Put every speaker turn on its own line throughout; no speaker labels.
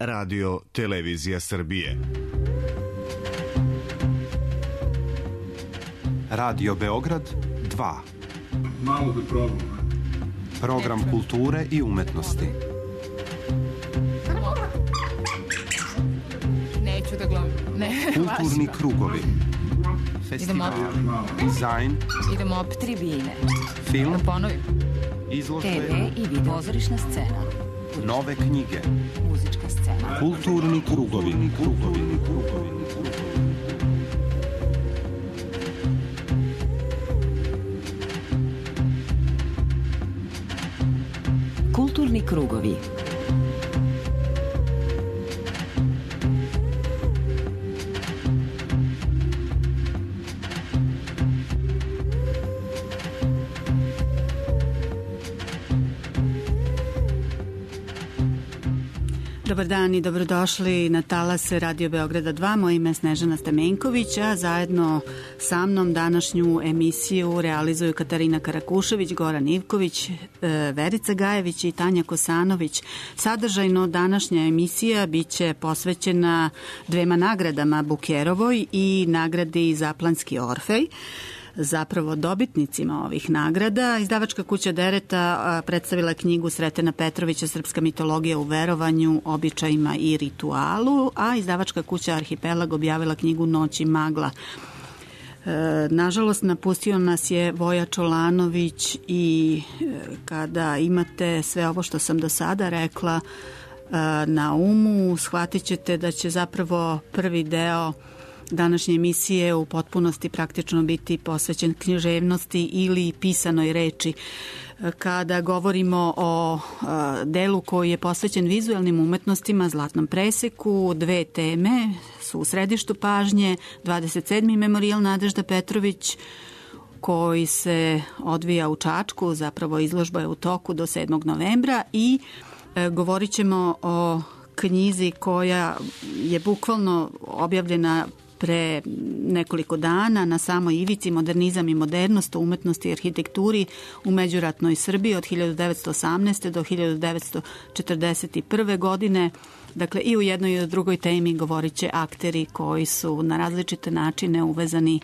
Radio Televizija Srbije.
Radio Beograd 2.
Malo da probam.
Program kulture i umetnosti.
Neću da gledam.
Kulturni krugovi. Festival, dizajn.
Idemo op tribine.
Film.
Da ponovim.
Izložbe.
TV i video. Pozorišna scena.
Nove knjige.
Muzička scena.
Kulturni krugovi.
Kulturni krugovi.
Dobar dan i dobrodošli na talase Radio Beograda 2. Moje ime je Snežana Stamenković, a zajedno sa mnom današnju emisiju realizuju Katarina Karakušević, Goran Ivković, Verica Gajević i Tanja Kosanović. Sadržajno današnja emisija biće posvećena dvema nagradama, Bukerovoj i nagradi Zaplanski Orfej. Zapravo dobitnicima ovih nagrada. Izdavačka kuća Dereta predstavila knjigu Sretena Petrovića Srpska mitologija u verovanju, običajima i ritualu, a izdavačka kuća Arhipelag objavila knjigu Noć i magla. Nažalost, napustio nas je Voja Čolanović i kada imate sve ovo što sam do sada rekla na umu, shvatit ćete da će zapravo prvi deo današnje emisije u potpunosti praktično biti posvećen književnosti ili pisanoj reči. Kada govorimo o delu koji je posvećen vizualnim umetnostima, zlatnom preseku, dve teme su u središtu pažnje. 27. memorijal Nadežda Petrović koji se odvija u Čačku, zapravo izložba je u toku do 7. novembra i govorit ćemo o knjizi koja je bukvalno objavljena pre nekoliko dana na samoj ivici Modernizam i modernost u umetnosti i arhitekturi u međuratnoj Srbiji od 1918. do 1941. godine. Dakle, i u jednoj i u drugoj temi govorit će akteri koji su na različite načine uvezani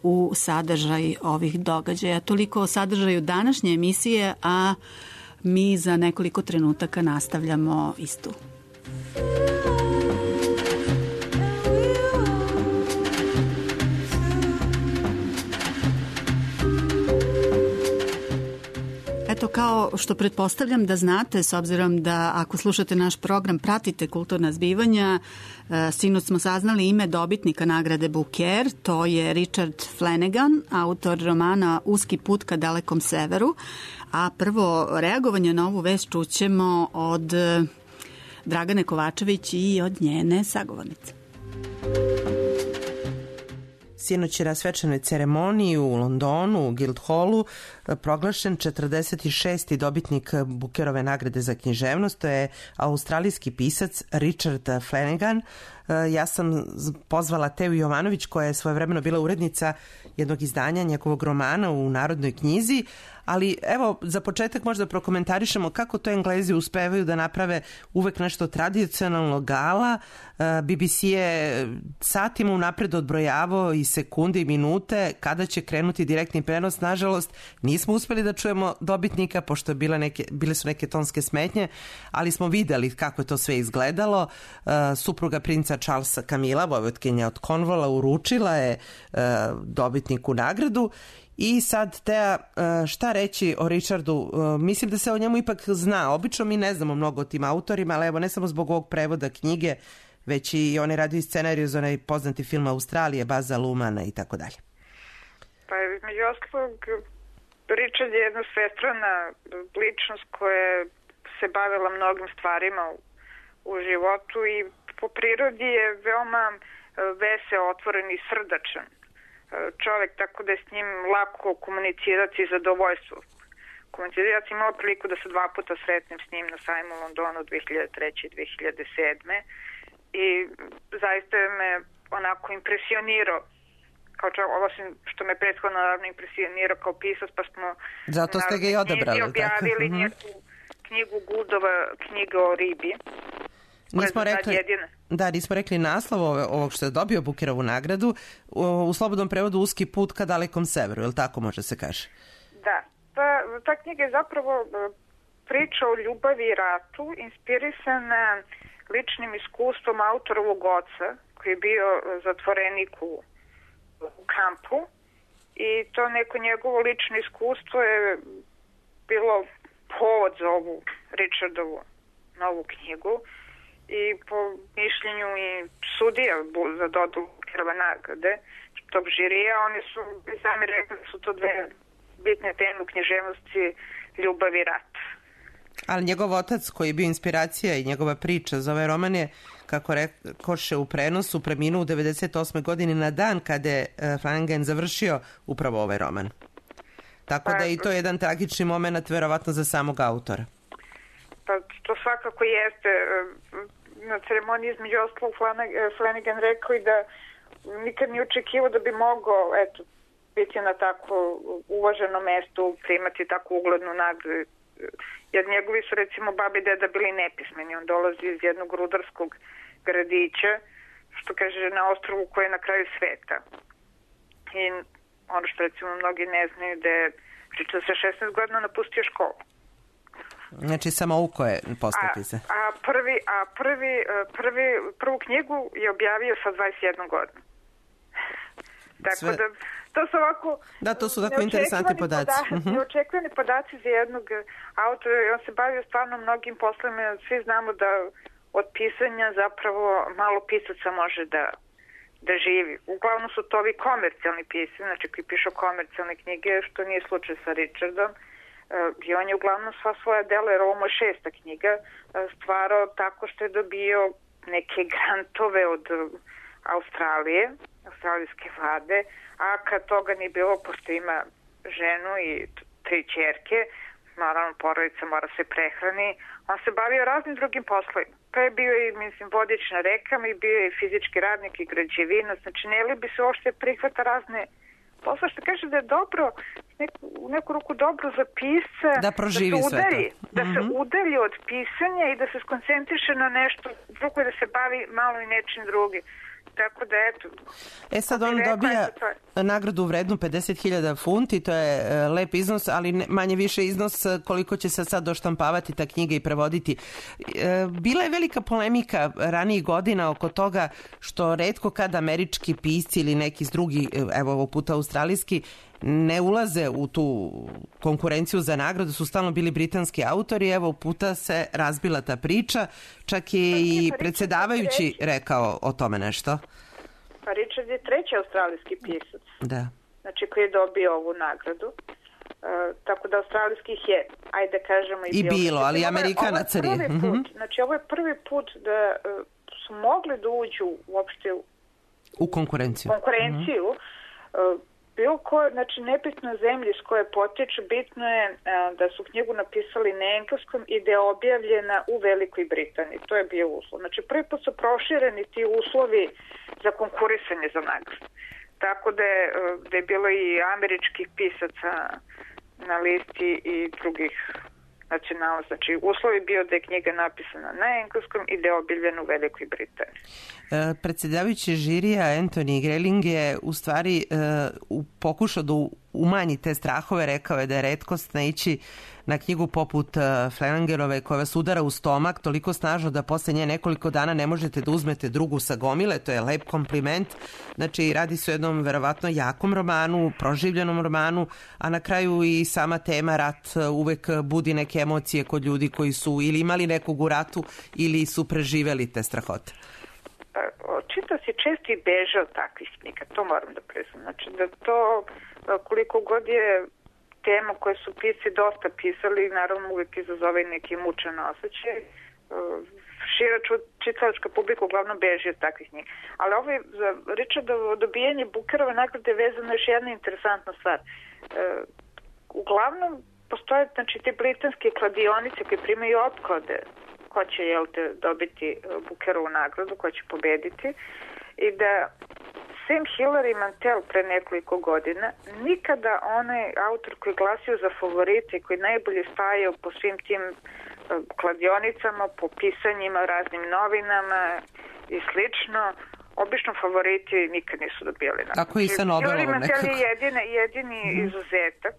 u sadržaj ovih događaja. Toliko o sadržaju današnje emisije, a mi za nekoliko trenutaka nastavljamo istu. Eto, kao što pretpostavljam da znate, s obzirom da ako slušate naš program, pratite kulturna zbivanja, sinoć smo saznali ime dobitnika nagrade Booker, to je Richard Flanagan, autor romana Uski put ka dalekom severu, a prvo reagovanje na ovu vest čućemo od Dragane Kovačević i od njene sagovornice.
Sinoć je na svečanoj ceremoniji u Londonu, u Guildhallu, proglašen 46. dobitnik Bookerove nagrade za književnost. To je australijski pisac Richard Flanagan. Ja sam pozvala Teju Jovanović, koja je svojevremeno bila urednica jednog izdanja njegovog romana u Narodnoj knjizi, ali evo, za početak možda prokomentarišemo kako to Englezi uspevaju da naprave uvek nešto tradicionalno gala. BBC je satima unapred odbrojavao i sekunde i minute kada će krenuti direktni prenos. Nažalost, nismo uspeli da čujemo dobitnika, pošto bile su neke tonske smetnje, ali smo videli kako je to sve izgledalo. Supruga princa Charlesa Camilla, vojvotkinja od Cornwalla, uručila je dobitniku nagradu. I sad, Teja, šta reći o Richardu? Mislim da se o njemu ipak zna. Obično mi ne znamo mnogo o tim autorima, ali evo, ne samo zbog ovog prevoda knjige, već i on je radio i scenariju za onaj poznati film Australije, Baza Lumana i tako dalje.
Pa među ostalog, Richard je jedna svestrana ličnost koja se bavila mnogim stvarima u životu i po prirodi je veoma veseo, otvoren i srdačan čovjek, tako da je s njim lako komunicirati i zadovoljstvo. Ja sam imala priliku da se 2 puta sretnem s njim na sajmu u Londonu 2003. i 2007. I zaista me onako impresionirao kao čovjek, osim što me prethodno naravno impresionirao kao pisac, pa smo
zato ste ga i odabrali,
objavili njegovu knjigu Guldova, knjiga o ribi.
Nismo rekli naslov ovog što je dobio Bukerovu nagradu, u slobodnom prevodu Uski put ka dalekom severu, je li tako može se kaže?
Da, ta knjiga je zapravo priča o ljubavi i ratu, inspirisana ličnim iskustvom autorovog oca, koji je bio zatvorenik u kampu, i to neko njegovo lično iskustvo je bilo povod za ovu Richardovu novu knjigu, i po mišljenju i sudija za dodelu Bukerove nagrade tog žirija, oni su sami rekli da su to dve bitne teme u književnosti, ljubav i rat.
Ali njegov otac koji je bio inspiracija i njegova priča za ovaj roman je, kako rekoše u prenosu, preminuo u 98. godini na dan kada je Flanagan završio upravo ovaj roman. Tako da je i to jedan tragični moment verovatno za samog autora.
Pa to svakako jeste. Na ceremoniji između ostalog Flanagan rekao i da nikad nije očekivao da bi mogao biti na tako uvaženo mestu, primati tako uglednu nagradu. Jer njegovi su recimo babi i deda bili nepismeni. On dolazi iz jednog rudarskog gradića, što kaže na ostrvu koje je na kraju sveta. I ono što recimo mnogi ne znaju da je Richard sa 16 godina napustio školu.
Znači samouko je postati se.
Prvu knjigu je objavio sa 21 godinu. Tako da to su ovako...
Da, to su tako interesantni podaci.
Neočekivani podaci za jednog autora. On se bavio stvarno mnogim poslovima. Svi znamo da od pisanja zapravo malo pisaca može da živi. Uglavnom su to ovi komercijalni pisci, znači koji pišu komercijalne knjige, što nije slučaj sa Richardom. I on je uglavnom sva svoja dela, jer ovo mu je 6. knjiga, stvarao tako što je dobio neke grantove od Australije, australijske vlade, a kad toga nije bilo, pošto ima ženu i 3 ćerke, naravno porodica mora se prehrani, on se bavio raznim drugim poslovima. Pa je bio i, vodič na rekama, i bio je fizički radnik i građevina, znači ne li bi se uopšte prihvata razne posla, što kaže da je dobro, u neku ruku dobro za pisca
da proživi sve to.
Da se udalji od pisanja i da se skoncentriše na nešto drugo i da se bavi malo i nečim drugim. Tako da eto.
Sad on dobija nagradu vrednu 50.000 funti, to je lep iznos, ali manje više iznos koliko će se sad doštampavati ta knjiga i prevoditi. Bila je velika polemika ranijih godina oko toga što retko kad američki pisci ili neki drugi, evo ovog puta australijski, ne ulaze u tu konkurenciju za nagradu, su stalno bili britanski autori. Evo puta se razbila ta priča, čak je i predsjedavajući rekao o tome nešto.
Pa Richard je 3. australijski pisac,
da.
Znači koji je dobio ovu nagradu. Tako da australijskih je, ajde kažemo,
i bilo, ali Amerikanaca nije.
Znači ovo je prvi put da su mogli da uđu uopšte
u konkurenciju.
Bilo ko, znači nebitno zemlji s koje potiču, bitno je da su knjigu napisali na engleskom i da je objavljena u Velikoj Britaniji. To je bio uslov. Znači prvi put su prošireni ti uslovi za konkurisanje za nagradu. Tako da je bilo i američkih pisaca na listi i drugih nacionalnosti. Znači uslov je bio da je knjiga napisana na engleskom i da je objavljena u Velikoj Britaniji.
Predsjedavajući žirija Anthony Grayling je u stvari pokušao da umanji te strahove, rekao je da je retkost naići na knjigu poput Flanaganove koja vas udara u stomak toliko snažno da posle nje nekoliko dana ne možete da uzmete drugu sa gomile, to je lep kompliment. Znači radi se o jednom verovatno jakom romanu, proživljenom romanu, a na kraju i sama tema rat uvek budi neke emocije kod ljudi koji su ili imali nekog u ratu ili su preživeli te strahote.
Čitao si često i beže od takvih knjiga, to moram da priznam. Znači da to koliko god je tema koje su pisci dosta pisali, naravno uvijek izazove neki mučan osjećaj. Šira čitalačka publika uglavnom beži od takvih knjiga. Ali ovo je za Richardovo dobijanje Bukerove nagrade vezano još jedna interesantna stvar. Uglavnom postoje znači te britanske kladionice koje primaju opklade ko će dobiti Bukerovu nagradu, ko će pobediti, i da Sam Hillary Mantel pre nekoliko godina nikada onaj autor koji glasio za favorite, koji najbolje stajao po svim tim kladionicama, po pisanjima, raznim novinama i slično. Obično favoriti nikad nisu dobijali nagradu.
Tako i sa Nobelovom nekako.
Jedini izuzetak.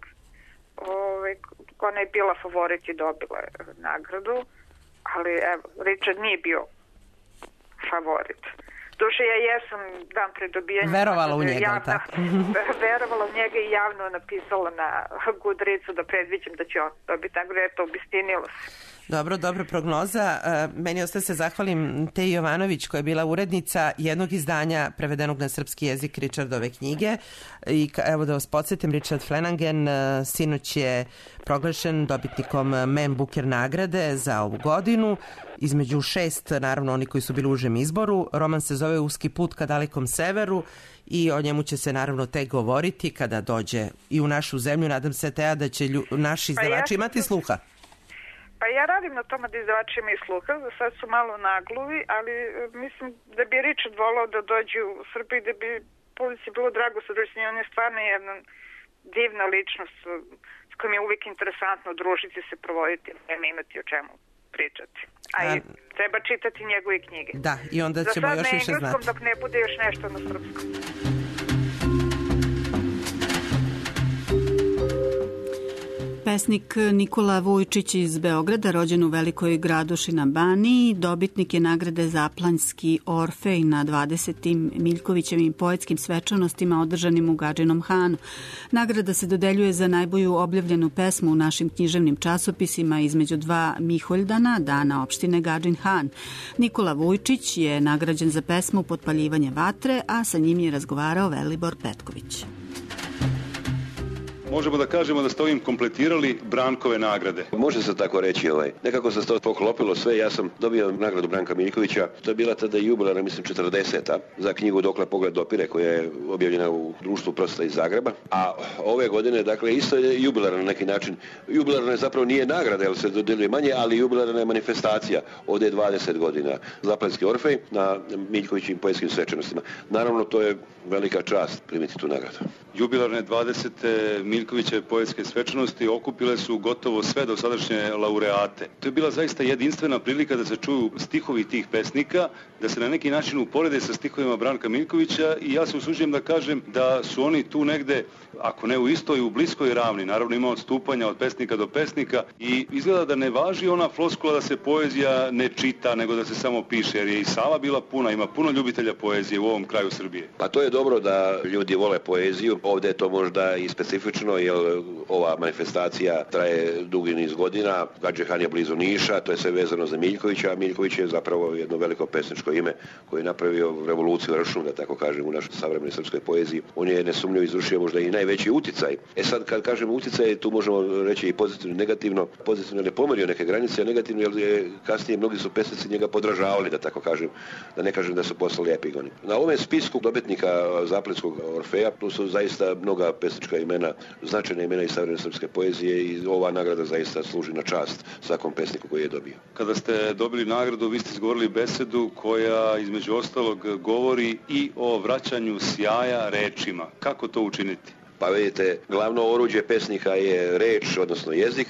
Ona je bila favorit i dobila nagradu, ali evo, Richard nije bio favorit. Duše, ja jesam dan pre dobijanja...
Verovala u njega, tako?
Verovala u njega i javno napisala na Goodreadsu da predviđam da će on dobiti nagradu, eto, obistinilo se.
Dobro prognoza. Meni ostaje se zahvalim Teji Jovanović koja je bila urednica jednog izdanja prevedenog na srpski jezik Richardove knjige. I evo da vas podsjetim, Richard Flanagan sinoć je proglašen dobitnikom Man Booker nagrade za ovu godinu. Između 6, naravno oni koji su bili u užem izboru. Roman se zove Uski put ka dalekom severu i o njemu će se naravno tek govoriti kada dođe i u našu zemlju. Nadam se, Teja, da će naši izdavači imati sluha.
Pa ja radim na tome da izdavači imaju sluha, za sad su malo nagluvi, ali mislim da bi Richard volao da dođe u Srbiji, da bi publici bilo drago sa društvenim. On je stvarno jedna divna ličnost s kojom je uvijek interesantno družiti se, provoditi, nema imati o čemu pričati. A i treba čitati njegove knjige.
Da, i onda ćemo još više znati. Za sad na engleskom,
dok ne bude još nešto na srpskom.
Pesnik Nikola Vujčić iz Beograda, rođen u Velikoj Graduši na Baniji, dobitnik je nagrade Zaplanjski Orfej na 20. Miljkovićevim poetskim svečanostima održanim u Gadžinom Hanu. Nagrada se dodeljuje za najbolju objavljenu pesmu u našim književnim časopisima između 2 Miholjdana, dana opštine Gadžin Han. Nikola Vujčić je nagrađen za pesmu Potpaljivanje vatre, a sa njim je razgovarao Velibor Petković.
Možemo da kažemo da ste ovim kompletirali Brankove nagrade.
Može se tako reći. Nekako se to poklopilo sve. Ja sam dobio nagradu Branka Miljkovića. To je bila tada jubilarna, mislim, 40. za knjigu Dokle pogled dopire, koja je objavljena u Društvu prosta iz Zagreba. A ove godine, dakle, isto je jubilarna na neki način. Jubilarna zapravo nije nagrada, jer se dodeljuje manje, ali jubilarna je manifestacija. Ovdje je 20 godina. Zaplanjski Orfej na Miljkovićim poetskim svečanostima. Naravno, to je velika čast primiti tu nagradu.
Jubilarne 20. Miljkovićeve poetske svečanosti okupile su gotovo sve dosadašnje laureate. To je bila zaista jedinstvena prilika da se čuju stihovi tih pesnika, da se na neki način uporede sa stihovima Branka Miljkovića i ja se usuđujem da kažem da su oni tu negde, ako ne u istoj, u bliskoj ravni. Naravno ima odstupanja od pesnika do pesnika i izgleda da ne važi ona floskula da se poezija ne čita, nego da se samo piše, jer je i sala bila puna, ima puno ljubitelja poezije u ovom kraju Srbije.
Pa to je dobro da ljudi vole poeziju. Ovdje je to možda i specifično, jer ova manifestacija traje dugi niz godina. Gadžin Han je blizu Niša, to je sve vezano za Miljkovića, a Miljković je zapravo jedno veliko pesničko ime koji je napravio revoluciju ršnu, da tako kažem, u našoj savremenoj srpskoj poeziji. On je nesumnjivo izvršio možda i najveći uticaj. Sad kad kažemo uticaj, tu možemo reći i pozitivno i negativno. Pozitivno ne pomerio neke granice, a negativno jer kasnije mnogi su pesnici njega podražavali, da tako kažem, da ne kažem da su postali epigoni. Na ovom spisku dobitnika Zaplanjskog Orfeja tu su zaista mnoga pesnička imena, značajna imena iz savremene srpske poezije i ova nagrada zaista služi na čast svakom pesniku koji je dobio.
Kada ste dobili nagradu, vi ste izgovorili besedu koja između ostalog govori i o vraćanju sjaja rečima. Kako to učiniti?
Pa vidite, glavno oruđe pesnika je reč, odnosno jezik,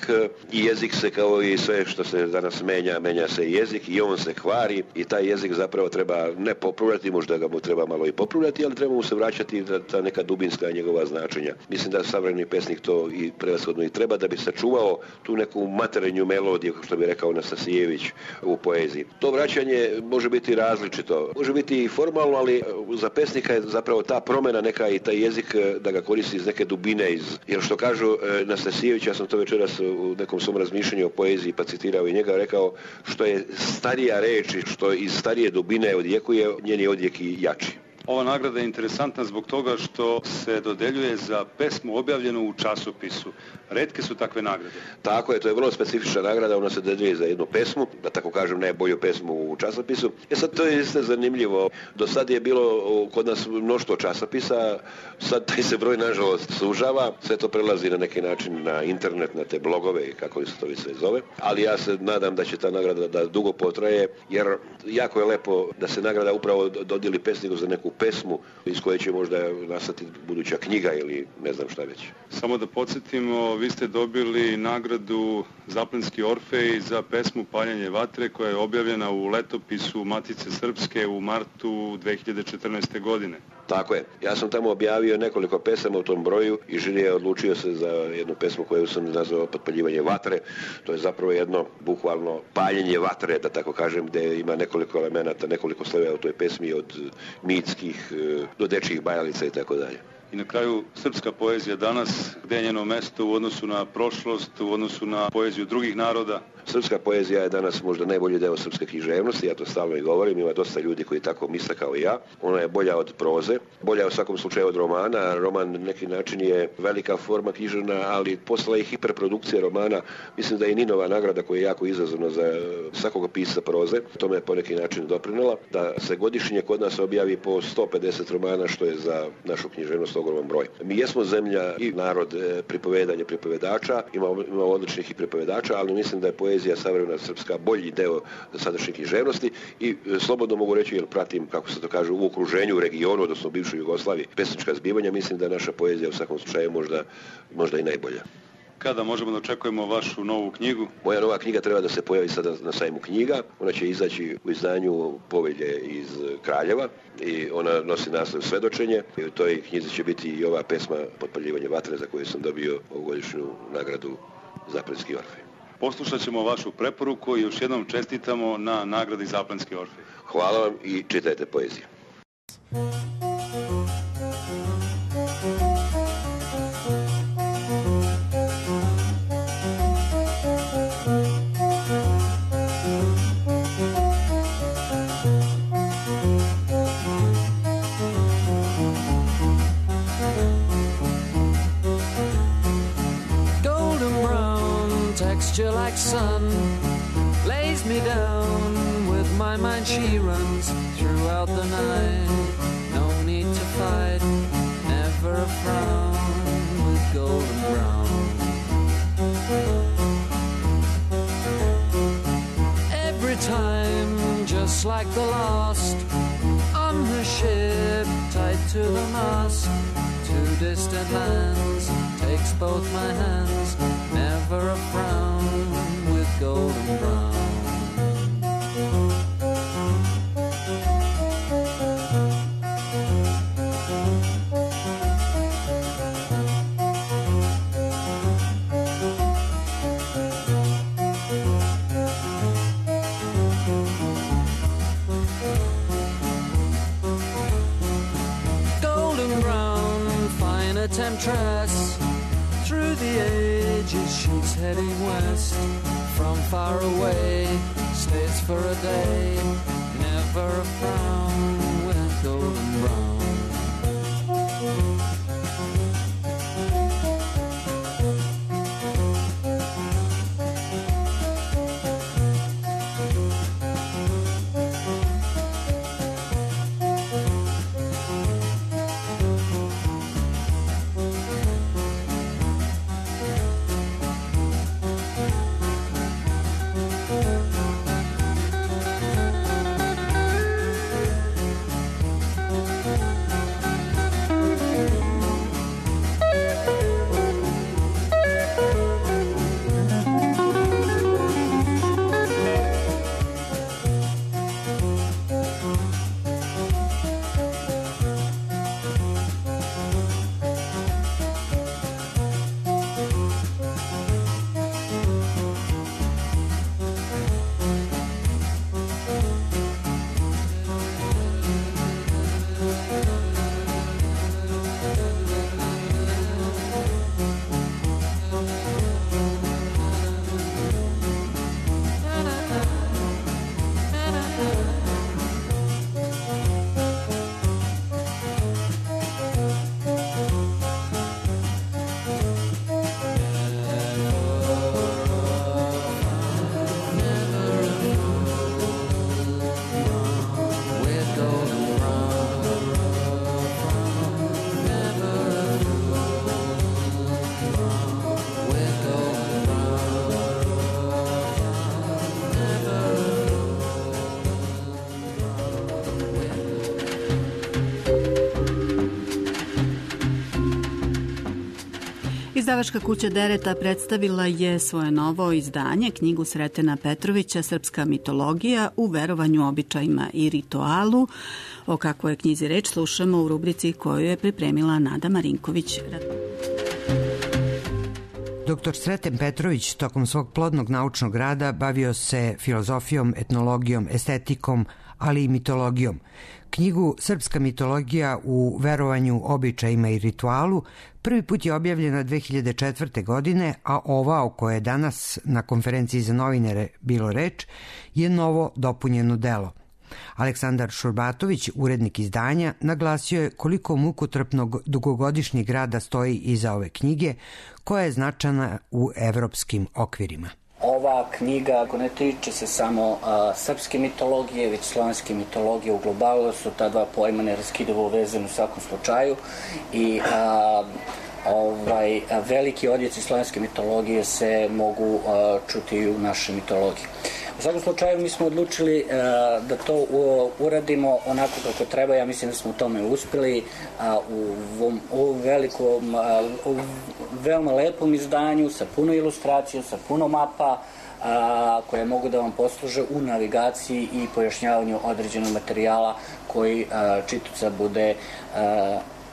i jezik se kao i sve što se danas menja se jezik i on se kvari i taj jezik zapravo treba ne popravljati, možda ga mu treba malo i popravljati, ali treba mu se vraćati ta neka dubinska njegova značenja. Mislim da savremeni pesnik to i prevashodno i treba da bi sačuvao tu neku materinju melodiju, što bi rekao Nastasijević u poeziji. To vraćanje može biti različito, može biti i formalno, ali za pesnika je zapravo ta promjena neka i taj jezik da ga koristi iz neke dubine, jer što kažu Nastasijević, ja sam to večeras u nekom svom razmišljanju o poeziji pa citirao i njega, rekao što je starija reč i što iz starije dubine odjekuje, njeni odjek i jači.
Ova nagrada je interesantna zbog toga što se dodeljuje za pesmu objavljenu u časopisu. Retke su takve nagrade.
Tako je, to je vrlo specifična nagrada, ona se dodeljuje za jednu pesmu, da tako kažem najbolju pesmu u časopisu. Sad to je isto zanimljivo. Do sad je bilo kod nas mnoštvo časopisa, sad taj se broj nažalost sužava, sve to prelazi na neki način na internet, na te blogove, kako se to sve zove. Ali ja se nadam da će ta nagrada da dugo potraje, jer jako je lepo da se nagrada upravo dodijeli pesniku za neku pesmu iz koje će možda nastati buduća knjiga ili ne znam šta već.
Samo da podsjetimo, vi ste dobili nagradu Zaplenski Orfej za pesmu Paljenje vatre koja je objavljena u letopisu Matice Srpske u martu 2014. godine.
Tako je. Ja sam tamo objavio nekoliko pesama u tom broju i žiri je odlučio se za jednu pesmu koju sam nazvao Potpaljivanje vatre. To je zapravo jedno bukvalno paljenje vatre, da tako kažem, gde ima nekoliko elemenata, nekoliko slojeva u toj pesmi, od mitskih do dečjih bajalica i tako dalje.
I na kraju, srpska poezija danas, gde je njeno mesto u odnosu na prošlost, u odnosu na poeziju drugih naroda?
Srpska poezija je danas možda najbolji deo srpske književnosti, ja to stalno i govorim, ima dosta ljudi koji tako misle kao i ja. Ona je bolja od proze, bolja u svakom slučaju od romana. Roman na neki način je velika forma književna, ali posla i hiperprodukcija romana. Mislim da je Ninova nagrada koja je jako izazovna za svakog pisca proze, tome je po neki način doprinela, da se godišnje kod nas objavi po 150 romana, što je za našu književnost ogroman broj. Mi jesmo zemlja i narod pripovedanja, pripovedača, imamo odličnih i pripovedača, ali mislim da je poezija savremena srpska bolji deo sadašnje književnosti i slobodno mogu reći, jer pratim, kako se to kaže, u okruženju, u regionu, odnosno u bivšoj Jugoslaviji, pesnička zbivanja, mislim da je naša poezija u svakom slučaju možda i najbolja.
Kada možemo da očekujemo vašu novu knjigu?
Moja nova knjiga treba da se pojavi sada na sajmu knjiga. Ona će izaći u izdanju Povelje iz Kraljeva i ona nosi naslov Svedočenje. I u toj knjizi će biti i ova pesma Potpaljivanje vatre za koju sam dobio ovogodišnju nagradu Zaplenski Orfej.
Poslušat ćemo vašu preporuku i još jednom čestitamo na nagradi Zaplenski Orfej.
Hvala vam i čitajte poeziju.
Like sun lays me down with my mind, she runs throughout the night. No need to fight, never a frown with golden brown. Every time, just like the last, on her ship tied to the mast, to distant lands, takes both my hands, never a frown with golden brown. Golden brown, fine a temptress, through the ages she's heading west. From far away, stays for a day, never a frown with golden brown.
Izdavačka kuća Dereta predstavila je svoje novo izdanje, knjigu Sretena Petrovića Srpska mitologija u verovanju, običajima i ritualu. O kakvoj je knjizi reč slušamo u rubrici koju je pripremila Nada Marinković.
Dr. Sreten Petrović tokom svog plodnog naučnog rada bavio se filozofijom, etnologijom, estetikom, ali i mitologijom. Knjigu Srpska mitologija u verovanju, običajima i ritualu prvi put je objavljena 2004. godine, a ova o kojoj je danas na konferenciji za novinare bilo reč je novo dopunjeno delo. Aleksandar Šurbatović, urednik izdanja, naglasio je koliko mukotrpnog dugogodišnjeg rada stoji iza ove knjige, koja je značajna u evropskim okvirima.
Ova knjiga ne tiče se samo srpske mitologije, već slovenske mitologije u globalu, su ta dva pojma neraskidivo vezani u svakom slučaju i veliki odjeci slovenske mitologije se mogu čuti u našoj mitologiji. U svakom slučaju mi smo odlučili da to uradimo onako kako treba. Ja mislim da smo u tome uspeli u velikom, veoma lepom izdanju sa puno ilustracija, sa puno mapa koje mogu da vam posluže u navigaciji i pojašnjavanju određenog materijala koji čitaoca bude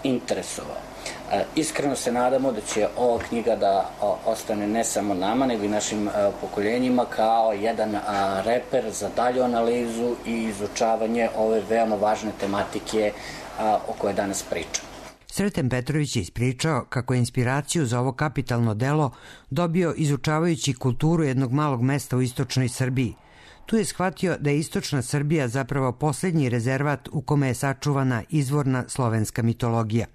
interesovao. Iskreno se nadamo da će ova knjiga da ostane ne samo nama, nego i našim pokoljenjima kao jedan reper za dalju analizu i izučavanje ove veoma važne tematike o kojoj danas pričam.
Sreten Petrović je ispričao kako je inspiraciju za ovo kapitalno delo dobio izučavajući kulturu jednog malog mesta u istočnoj Srbiji. Tu je shvatio da je istočna Srbija zapravo poslednji rezervat u kome je sačuvana izvorna slovenska mitologija.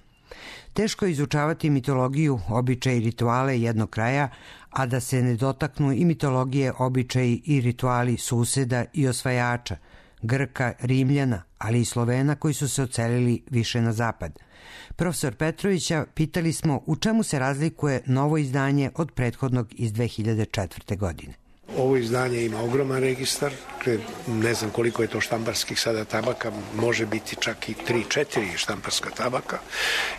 Teško je izučavati mitologiju, običaje i rituale jednog kraja, a da se ne dotaknu i mitologije, običaji i rituali suseda i osvajača, Grka, Rimljana, ali i Slovena koji su se odselili više na zapad. Profesor Petrovića pitali smo u čemu se razlikuje novo izdanje od prethodnog iz 2004. godine.
Ovo izdanje ima ogroman registar, ne znam koliko je to štamparskih sada tabaka, može biti čak i 3-4 štamparska tabaka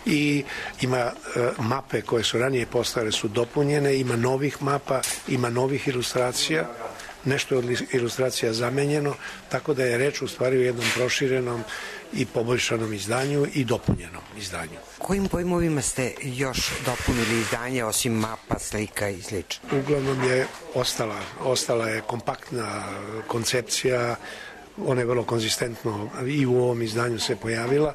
i ima mape koje su ranije postojale su dopunjene, ima novih mapa, ima novih ilustracija, nešto je od ilustracija zamenjeno, tako da je reč u stvari o jednom proširenom i poboljšanom izdanju i dopunjenom izdanju.
Kojim pojmovima ste još dopunili izdanje osim mapa, slika i sl.?
Uglavnom je ostala je kompaktna koncepcija, ona je vrlo konzistentno i u ovom izdanju se pojavila.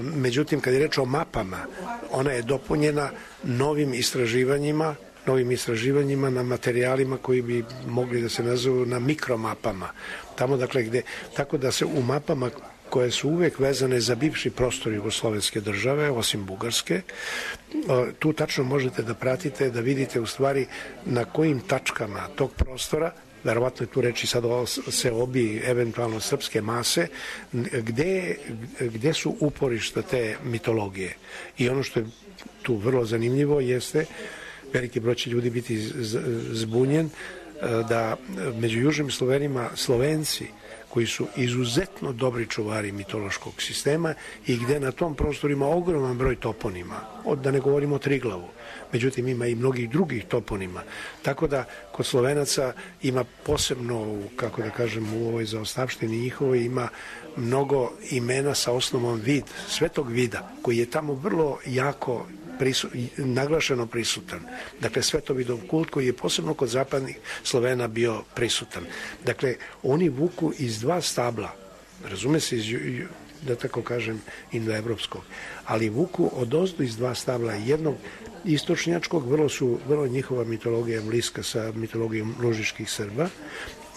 Međutim, kad je reč o mapama, ona je dopunjena novim istraživanjima na materijalima koji bi mogli da se nazovu na mikromapama. Tamo, dakle, tako da se u mapama koje su uvek vezane za bivši prostor jugoslovenske države, osim Bugarske, tu tačno možete da pratite, da vidite u stvari na kojim tačkama tog prostora, verovatno je tu reči sad o seobi eventualno srpske mase, gde su uporišta te mitologije. I ono što je tu vrlo zanimljivo jeste, veliki broj će ljudi biti zbunjen, da među južnim Slovenima Slovenci koji su izuzetno dobri čuvari mitološkog sistema i gde na tom prostoru ima ogroman broj toponima, da ne govorimo o Triglavu. Međutim, ima i mnogih drugih toponima. Tako da, kod Slovenaca ima posebno, kako da kažem, u ovoj zaostavštini njihovoj ima mnogo imena sa osnovom svetog vida, koji je tamo vrlo jako naglašeno prisutan. Dakle, svetovidov kult koji je posebno kod zapadnih Slovena bio prisutan. Dakle, oni vuku iz dva stabla, razume se, da tako kažem, indoevropskog, ali vuku odozdo iz dva stabla, jednog istočnjačkog, vrlo njihova mitologija bliska sa mitologijom lužiških Srba,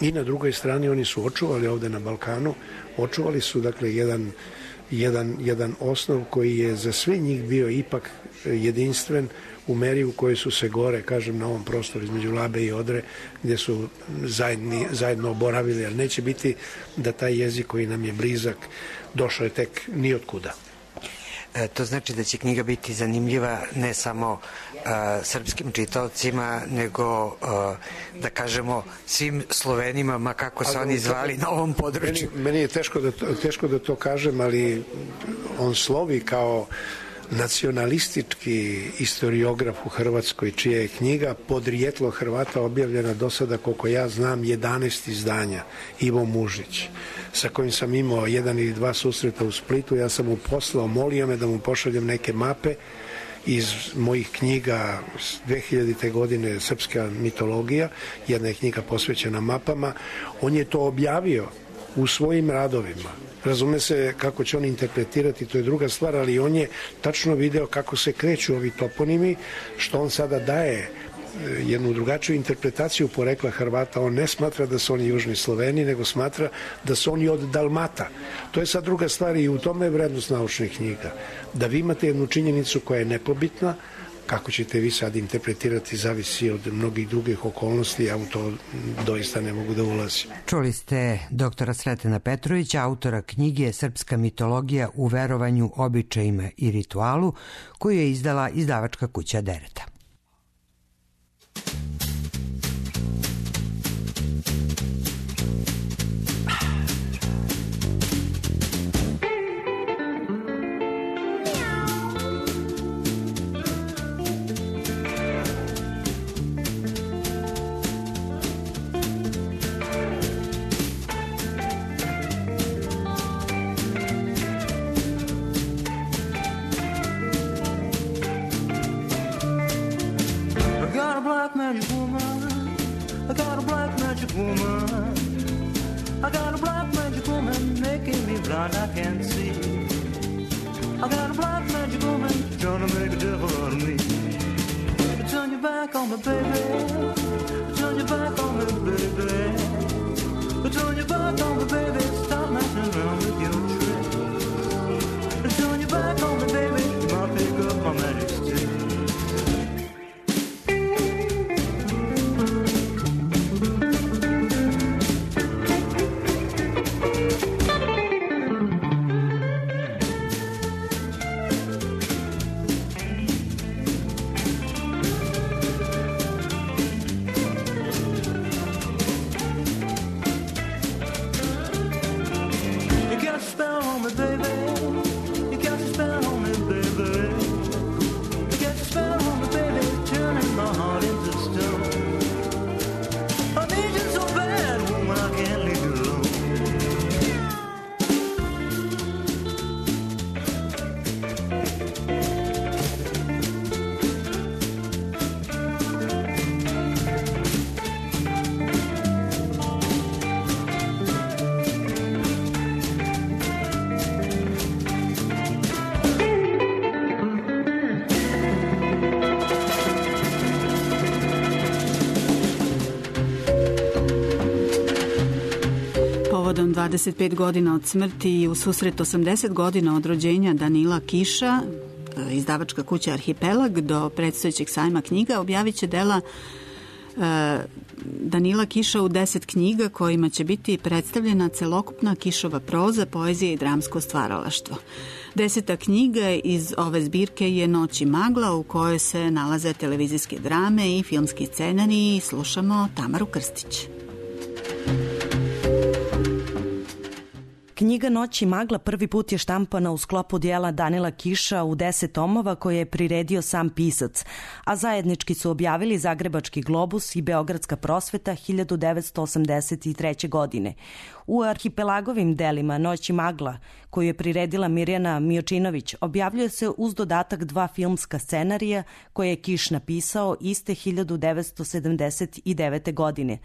i na drugoj strani oni su očuvali ovde na Balkanu, očuvali su, dakle, jedan osnov koji je za sve njih bio ipak jedinstven u meri u kojoj su se gore, kažem, na ovom prostoru između Labe i Odre, gde su zajedno oboravili, ali neće biti da taj jezik koji nam je blizak došao je tek nijotkuda.
To znači da će knjiga biti zanimljiva ne samo srpskim čitaocima, nego, da kažemo, svim Slovenima, ma kako se oni zvali na ovom području.
Meni je teško da to kažem, ali on slovi kao nacionalistički historiograf u Hrvatskoj, čija je knjiga Podrijetlo Hrvata objavljena do sada, koliko ja znam, 11 izdanja, Ivo Mužić, sa kojim sam imao 1 ili 2 susreta u Splitu. Ja sam mu poslao, molio me da mu pošaljem neke mape iz mojih knjiga 2000. godine, Srpska mitologija, jedna je knjiga posvećena mapama. On je to objavio u svojim radovima. Razume se kako će on interpretirati, to je druga stvar, ali on je tačno video kako se kreću ovi toponimi, što on sada daje jednu drugačiju interpretaciju porekla Hrvata. On ne smatra da su oni južni Sloveni, nego smatra da su oni od Dalmata. To je sad druga stvar i u tome je vrednost naučnih knjiga. Da vi imate jednu činjenicu koja je nepobitna, kako ćete vi sad interpretirati zavisi od mnogih drugih okolnosti, ja u to doista ne mogu da ulazim.
Čuli ste doktora Sretena Petrovića, autora knjige Srpska mitologija u verovanju, običajima i ritualu, koju je izdala izdavačka kuća Dereta.
Povodom 25 godina od smrti i u susret 80 godina od rođenja Danila Kiša, izdavačka kuća Arhipelag do predstojećeg sajma knjiga objavit će dela Danila Kiša u 10 knjiga kojima će biti predstavljena celokupna Kišova proza, poezija i dramsko stvaralaštvo. 10. knjiga iz ove zbirke je Noć i magla, u kojoj se nalaze televizijske drame i filmski scenariji. Slušamo Tamaru Krstić.
Knjiga Noć i magla prvi put je štampana u sklopu dijela Danila Kiša u 10 tomova koje je priredio sam pisac, a zajednički su objavili Zagrebački globus i Beogradska prosveta 1983. godine. U Arhipelagovim delima Noć i magla, koju je priredila Mirjana Miočinović, objavljuje se uz dodatak 2 filmska scenarija koje je Kiš napisao iste 1979. godine.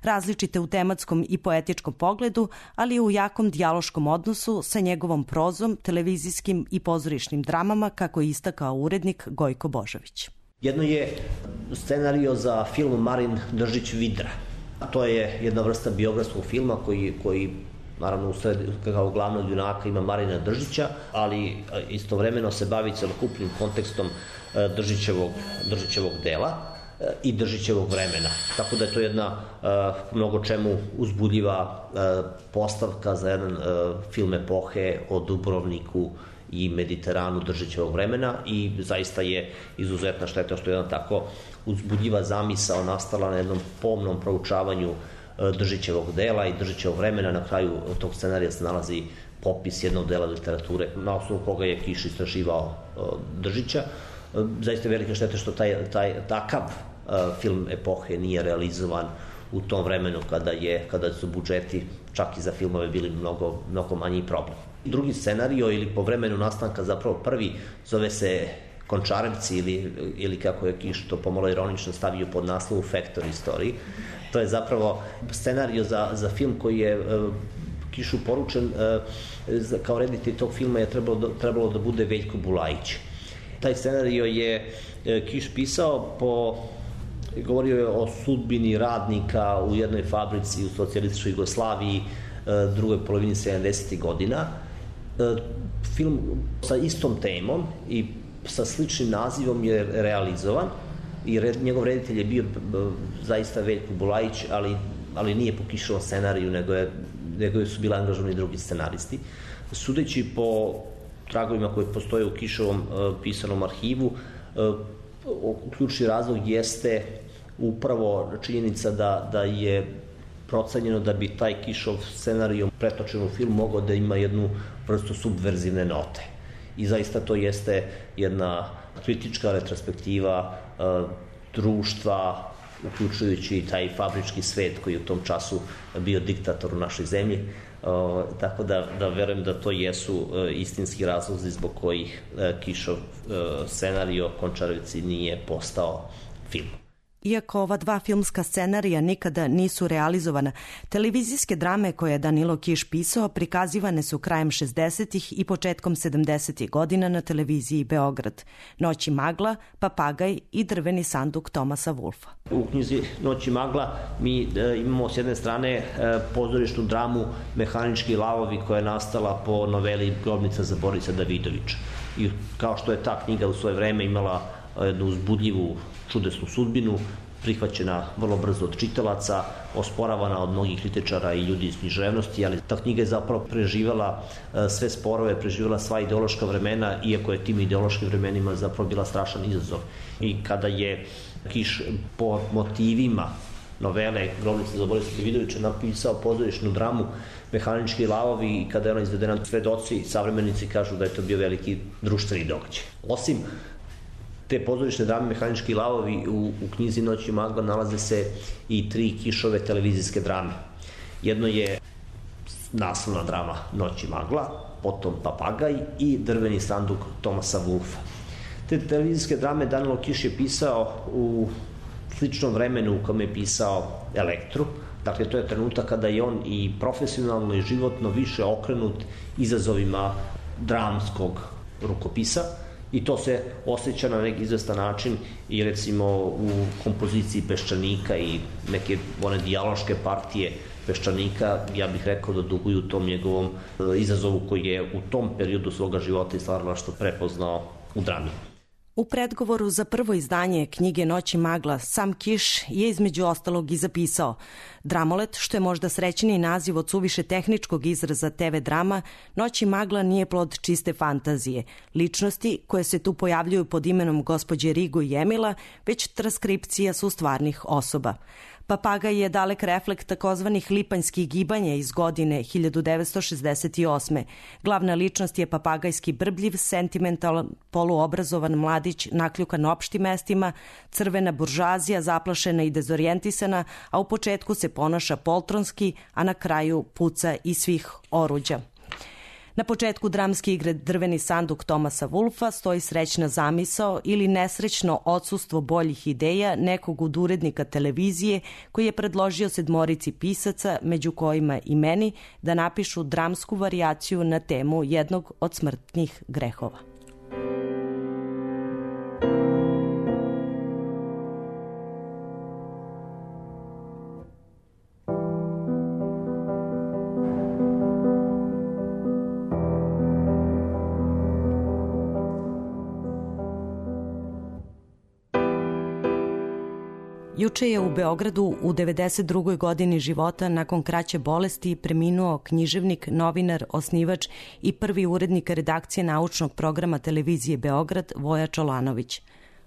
Različite u tematskom i poetičkom pogledu, ali i u jakom dijaloškom odnosu sa njegovom prozom, televizijskim i pozorišnim dramama, kako je istakao urednik Gojko Božović.
Jedno je scenario za film Marin Držić-Vidra. To je jedna vrsta biografskog filma koji naravno kao glavnog junaka ima Marina Držića, ali istovremeno se bavi celokupnim kontekstom Držićevog dela i Držićevog vremena. Tako da je to jedna mnogo čemu uzbudljiva postavka za jedan film epohe o Dubrovniku i Mediteranu Držićevog vremena i zaista je izuzetna šteta što je jedna tako uzbudljiva zamisao nastala na jednom pomnom proučavanju Držićevog dela i Držićevog vremena. Na kraju tog scenarija se nalazi popis jednog dela literature na osnovu koga je Kiš istraživao Držića. Zaista velika šteta što takav film epohe nije realizovan u tom vremenu kada su budžeti čak i za filmove bili mnogo manji problem. Drugi scenario ili po vremenu nastanka zapravo prvi zove se Končarevci ili kako je Kiš to pomalo ironično stavio pod naslovu Factory Story. To je zapravo scenario za film koji je Kišu poručen kao reditelj tog filma je trebalo da bude Veljko Bulajić. Taj scenario je Kiš pisao govorio je o sudbini radnika u jednoj fabrici u socijalističkoj Jugoslaviji drugoj polovini 70. godina. Film sa istom temom i sa sličnim nazivom je realizovan i njegov reditelj je bio zaista Veljko Bulajić, ali nije po Kišovom scenariju, nego su bili angažovani drugi scenaristi. Sudeći po tragovima koji postoje u Kišovom pisanom arhivu, ključni razlog jeste upravo činjenica da je procenjeno da bi taj Kišov scenario pretočen u film mogao da ima jednu vrstu subverzivne note. I zaista to jeste jedna kritička retrospektiva društva, uključujući taj fabrički svet koji je u tom času bio diktator u našoj zemlji. Tako da verujem da to jesu istinski razlozi zbog kojih Kišov scenario Končarevci nije postao film.
Iako ova dva filmska scenarija nikada nisu realizovana, televizijske drame koje je Danilo Kiš pisao prikazivane su krajem 60. i početkom 70. godina na televiziji Beograd. Noć i magla, Papagaj i Drveni sanduk Tomasa Wolfa.
U knjizi Noć i magla mi imamo s jedne strane pozorišnu dramu Mehanički lavovi koja je nastala po noveli Grobnica za Borisa Davidovića. I kao što je ta knjiga u svoje vreme imala jednu uzbudljivu, čudesnu sudbinu, prihvaćena vrlo brzo od čitalaca, osporavana od mnogih kritičara i ljudi iz književnosti, ali ta knjiga je zapravo preživala sve sporove, preživala sva ideološka vremena, iako je tim ideološkim vremenima zapravo bila strašan izazov. I kada je Kiš po motivima novele Grobnica za Borisa Davidovića napisao pozorišnu dramu Mehanički lavovi i kada je ona izvedena, svedoci i savremenici kažu da je to bio veliki društveni događaj. Osim te pozorišne drame Mehanički lavovi u knjizi Noć i magla nalaze se i 3 Kišove televizijske drame. Jedno je naslovna drama Noć i magla, potom Papagaj i Drveni sanduk Tomasa Wolfa. Te televizijske drame Danilo Kiš je pisao u sličnom vremenu u kojem je pisao Elektru. Dakle, to je trenutak kada je on i profesionalno i životno više okrenut izazovima dramskog rukopisa. I to se osjeća na neki izvestan način i recimo u kompoziciji Peščanika i neke one dijaloške partije Peščanika, ja bih rekao da duguju tom njegovom izazovu koji je u tom periodu svoga života i stvaralaštva prepoznao u drami.
U predgovoru za prvo izdanje knjige Noć i magla sam Kiš je između ostalog i zapisao: Dramolet, što je možda srećniji naziv od suviše tehničkog izraza TV drama, Noć i magla nije plod čiste fantazije. Ličnosti koje se tu pojavljuju pod imenom gospođe Rigo i Emila, već transkripcija su stvarnih osoba. Papagaj je dalek reflekt takozvanih lipanjskih gibanja iz godine 1968. Glavna ličnost je papagajski brbljiv, sentimentalan, poluobrazovan mladić nakljukan opštim mestima, crvena buržazija zaplašena i dezorijentisana, a u početku se ponaša poltronski, a na kraju puca iz svih oruđa. Na početku dramske igre Drveni sanduk Tomasa Wolfa stoji srećna zamisao ili nesrećno odsustvo boljih ideja nekog od urednika televizije koji je predložio 7 pisaca, među kojima i meni, da napišu dramsku varijaciju na temu jednog od smrtnih grehova. Juče je u Beogradu u 92. godini života nakon kraće bolesti preminuo književnik, novinar, osnivač i prvi urednik redakcije naučnog programa televizije Beograd Voja Čolanović.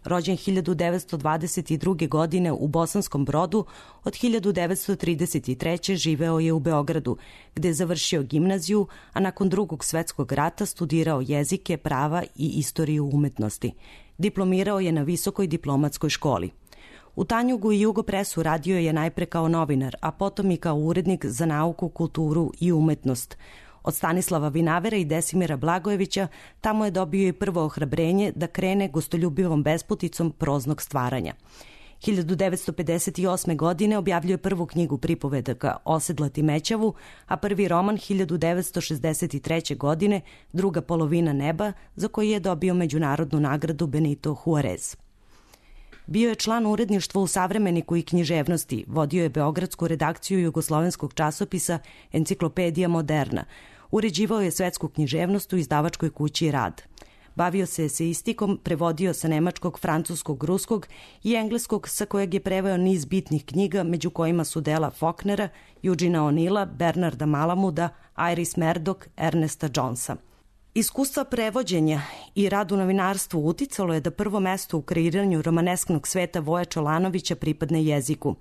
rođen 1922. godine u Bosanskom Brodu, od 1933. živeo je u Beogradu, gde je završio gimnaziju, a nakon Drugog svetskog rata studirao jezike, prava i istoriju umetnosti. Diplomirao je na Visokoj diplomatskoj školi. U Tanjugu i Jugopresu radio je najpre kao novinar, a potom i kao urednik za nauku, kulturu i umetnost. Od Stanislava Vinavera i Desimira Blagojevića tamo je dobio i prvo ohrabrenje da krene gostoljubivom besputicom proznog stvaranja. 1958. godine objavljuje prvu knjigu pripovedaka Osedlati Mećavu, a prvi roman 1963. godine Druga polovina neba, za koji je dobio međunarodnu nagradu Benito Juarez. Bio je član uredništva u Savremeniku i književnosti, vodio je beogradsku redakciju jugoslovenskog časopisa Enciklopedija Moderna, uređivao je svetsku književnost u izdavačkoj kući Rad. Bavio se eseistikom, prevodio sa nemačkog, francuskog, ruskog i engleskog, sa kojeg je preveo niz bitnih knjiga, među kojima su dela Faulknera, Eugena O'Neilla, Bernarda Malamuda, Iris Murdoch, Ernesta Jonesa. Iskustva prevođenja i rad u novinarstvu uticalo je da prvo mesto u kreiranju romanesknog sveta Voja Čolanovića pripadne jeziku.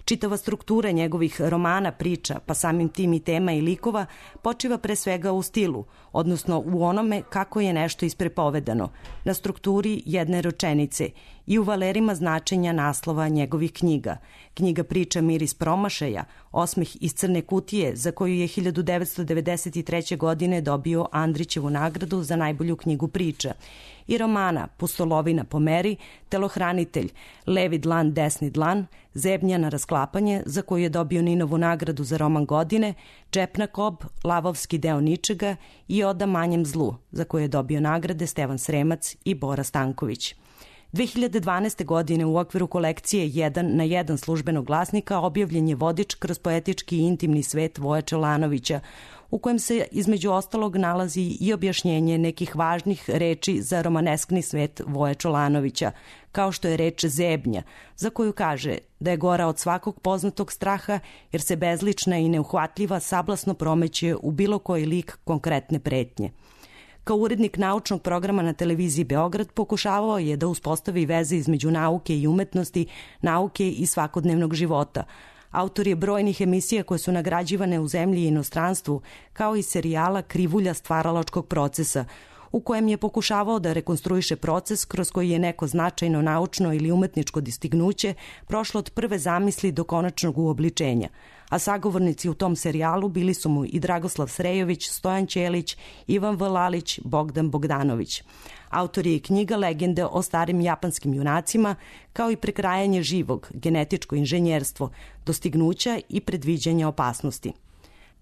Čitava struktura njegovih romana, priča, pa samim tim i tema i likova, počiva pre svega u stilu, odnosno u onome kako je nešto isprepovedano, na strukturi jedne rečenice i u valerima značenja naslova njegovih knjiga. Knjiga priča Miris promašaja, Osmeh iz crne kutije, za koju je 1993. godine dobio Andrićevu nagradu za najbolju knjigu priča, i romana Pustolovina po meri, Telohranitelj, Levi dlan, desni dlan, Zebnja na rasklapanje, za koju je dobio Ninovu nagradu za roman godine, Džepna kob, Lavovski deo ničega i Oda manjem zlu, za koju je dobio nagrade Stevan Sremac i Bora Stanković. 2012. godine u okviru kolekcije 1 na 1 službenog glasnika objavljen je vodič kroz poetički i intimni svet Voja Čolanovića, u kojem se između ostalog nalazi i objašnjenje nekih važnih reči za romaneskni svet Voja Čolanovića, kao što je reč zebnja, za koju kaže da je gora od svakog poznatog straha jer se bezlična i neuhvatljiva sablasno promeće u bilo koji lik konkretne pretnje. Kao urednik naučnog programa na televiziji Beograd pokušavao je da uspostavi veze između nauke i umetnosti, nauke i svakodnevnog života. Autor je brojnih emisija koje su nagrađivane u zemlji i inostranstvu, kao i serijala Krivulja stvaralačkog procesa, u kojem je pokušavao da rekonstruiše proces kroz koji je neko značajno naučno ili umetničko dostignuće prošlo od prve zamisli do konačnog uobličenja. A sagovornici u tom serijalu bili su mu i Dragoslav Srejović, Stojan Ćelić, Ivan V. Lalić, Bogdan Bogdanović. Autor je i knjiga Legende o starim japanskim junacima, kao i Prekrajanje živog, genetičko inženjerstvo, dostignuća i predviđanja opasnosti.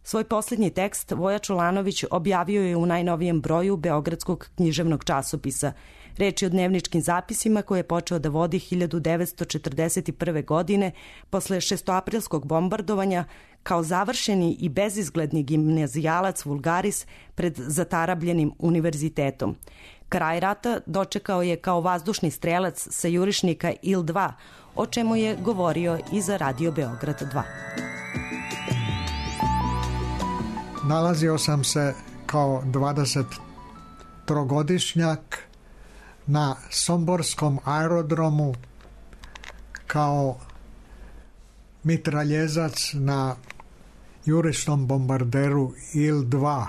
Svoj posljednji tekst Voja Čolanović objavio je u najnovijem broju Beogradskog književnog časopisa. Reč je o dnevničkim zapisima koje je počeo da vodi 1941. godine posle šestoaprilskog bombardovanja kao završeni i bezizgledni gimnazijalac vulgaris pred zatarabljenim univerzitetom. Kraj rata dočekao je kao vazdušni strelac sa jurišnika Il-2, o čemu je govorio i za Radio Beograd 2.
Nalazio sam se kao 23-godišnjak na Somborskom aerodromu kao mitraljezac na jurišnom bombarderu Il-2.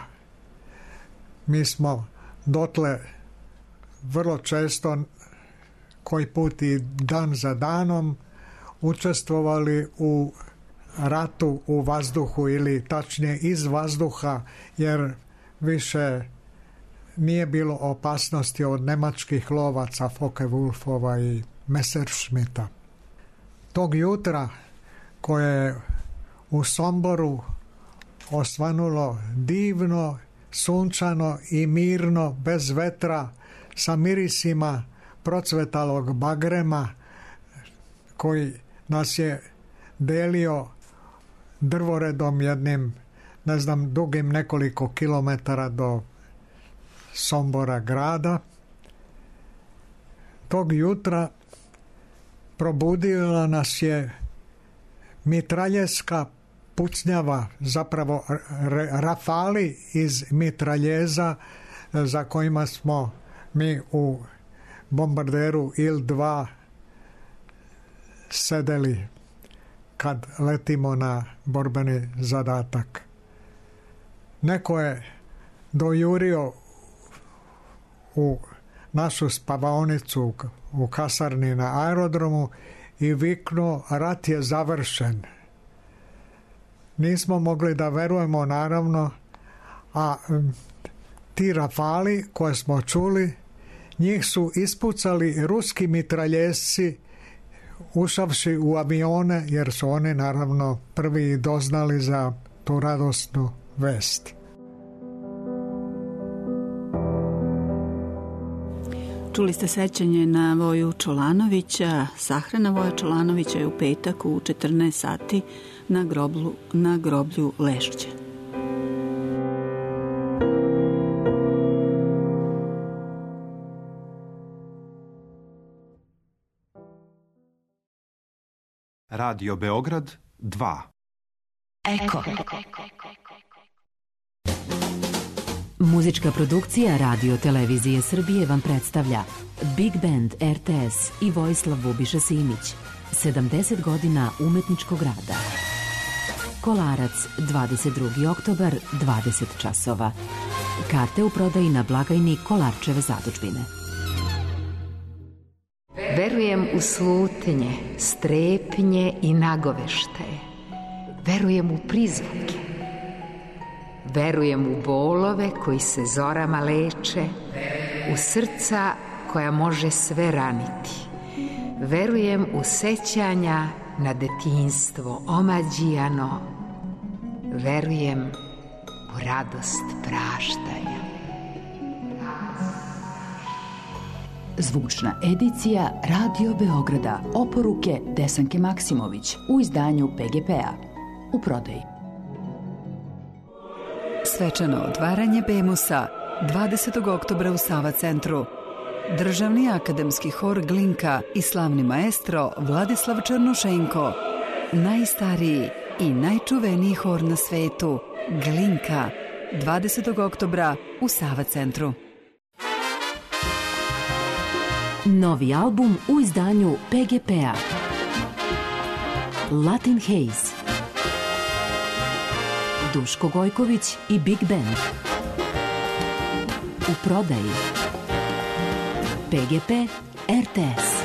Mi smo dotle vrlo često, koji put i dan za danom, učestvovali u ratu u vazduhu ili tačnije iz vazduha, jer više nije bilo opasnosti od nemačkih lovaca Focke-Wulfova i Messerschmitta. Tog jutra koje je u Somboru osvanulo divno, sunčano i mirno, bez vetra, sa mirisima procvetalog bagrema koji nas je delio drvoredom jednim, dugim nekoliko kilometara do Sombora grada. Tog jutra probudila nas je mitraljeska pucnjava, zapravo rafali iz mitraljeza za kojima smo mi u bombarderu Il-2 sedeli kad letimo na borbeni zadatak. Neko je dojurio u našu spavaonicu u kasarni na aerodromu i viknuo: rat je završen. Nismo mogli da verujemo, naravno, a ti rafali koje smo čuli, njih su ispucali ruski mitraljezci ušavši u avione, jer su oni naravno prvi doznali za tu radosnu vest.
Čuli ste sećanje na Voju Čolanovića. Sahrana Voja Čolanovića je u petak u 14 sati na groblju Lešće.
Radio Beograd 2.
Eko. Muzička produkcija Radio Televizije Srbije vam predstavlja Big Band RTS i Vojislav Bubiša Simić. 70 godina umetničkog rada. Kolarac, 22. oktobar, 20 časova. Karte u prodaji na blagajni Kolarčeve zadužbine.
Verujem u slutnje, strepnje i nagoveštaje. Verujem u prizvuke. Verujem u bolove koji se zorama leče, u srca koja može sve raniti. Verujem u sećanja na detinjstvo omađijano. Verujem u radost praštanja.
Zvučna edicija Radio Beograda. Oporuke Desanke Maksimović u izdanju PGP-a. U prodaji. Svečano otvaranje Bemusa 20. oktobra u Sava centru. Državni akademski hor Glinka i slavni maestro Vladislav Černošenko. Najstariji i najčuveniji hor na svetu Glinka 20. oktobra u Sava centru. Novi album u izdanju PGP-a. Latin Haze. Duško Gojković i Big Band. U prodaji. PGP RTS.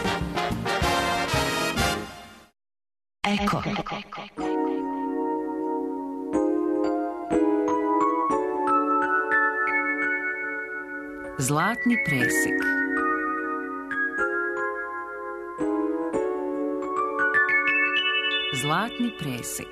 Eko. Zlatni presek. Zlatni presek.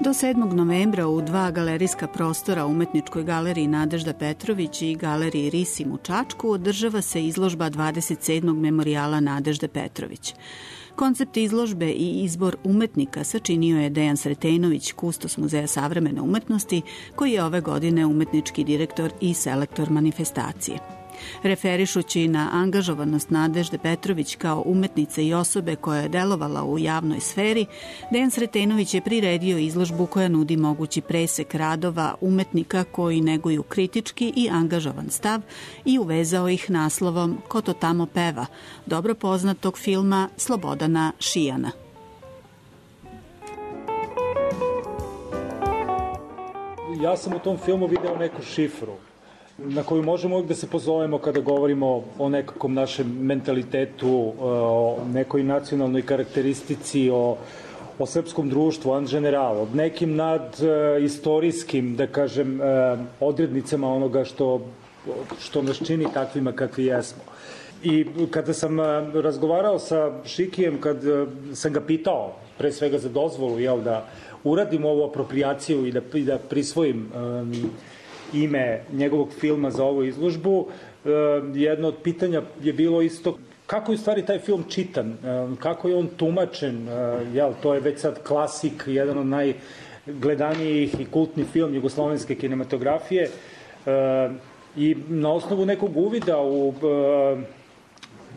Do 7. novembra u 2 galerijska prostora Umetničkoj galeriji Nadežda Petrović i galeriji Risim u Čačku održava se izložba 27. memorijala Nadežde Petrović. Koncept izložbe i izbor umetnika sačinio je Dejan Sretenović, kustos Muzeja savremene umetnosti, koji je ove godine umetnički direktor i selektor manifestacije. Referišući na angažovanost Nadežde Petrović kao umetnice i osobe koja je delovala u javnoj sferi, Dejan Sretenović je priredio izložbu koja nudi mogući presek radova umetnika koji neguju kritički i angažovan stav i uvezao ih naslovom Ko to tamo peva, dobro poznatog filma Slobodana Šijana.
Ja sam u tom filmu video neku šifru na koju možemo uvijek da se pozovemo kada govorimo o nekakvom našem mentalitetu, o nekoj nacionalnoj karakteristici, o srpskom društvu, en general, o nekim nadistorijskim, da kažem, odrednicama onoga što nas čini takvima kakvi jesmo. I kada sam razgovarao sa Šikijem, kad sam ga pitao, pre svega za dozvolu, da uradim ovu aproprijaciju i da prisvojim ime njegovog filma za ovu izložbu, jedno od pitanja je bilo isto kako je u stvari taj film čitan, kako je on tumačen, to je već sad klasik, jedan od najgledanijih i kultni film jugoslovenske kinematografije i na osnovu nekog uvida u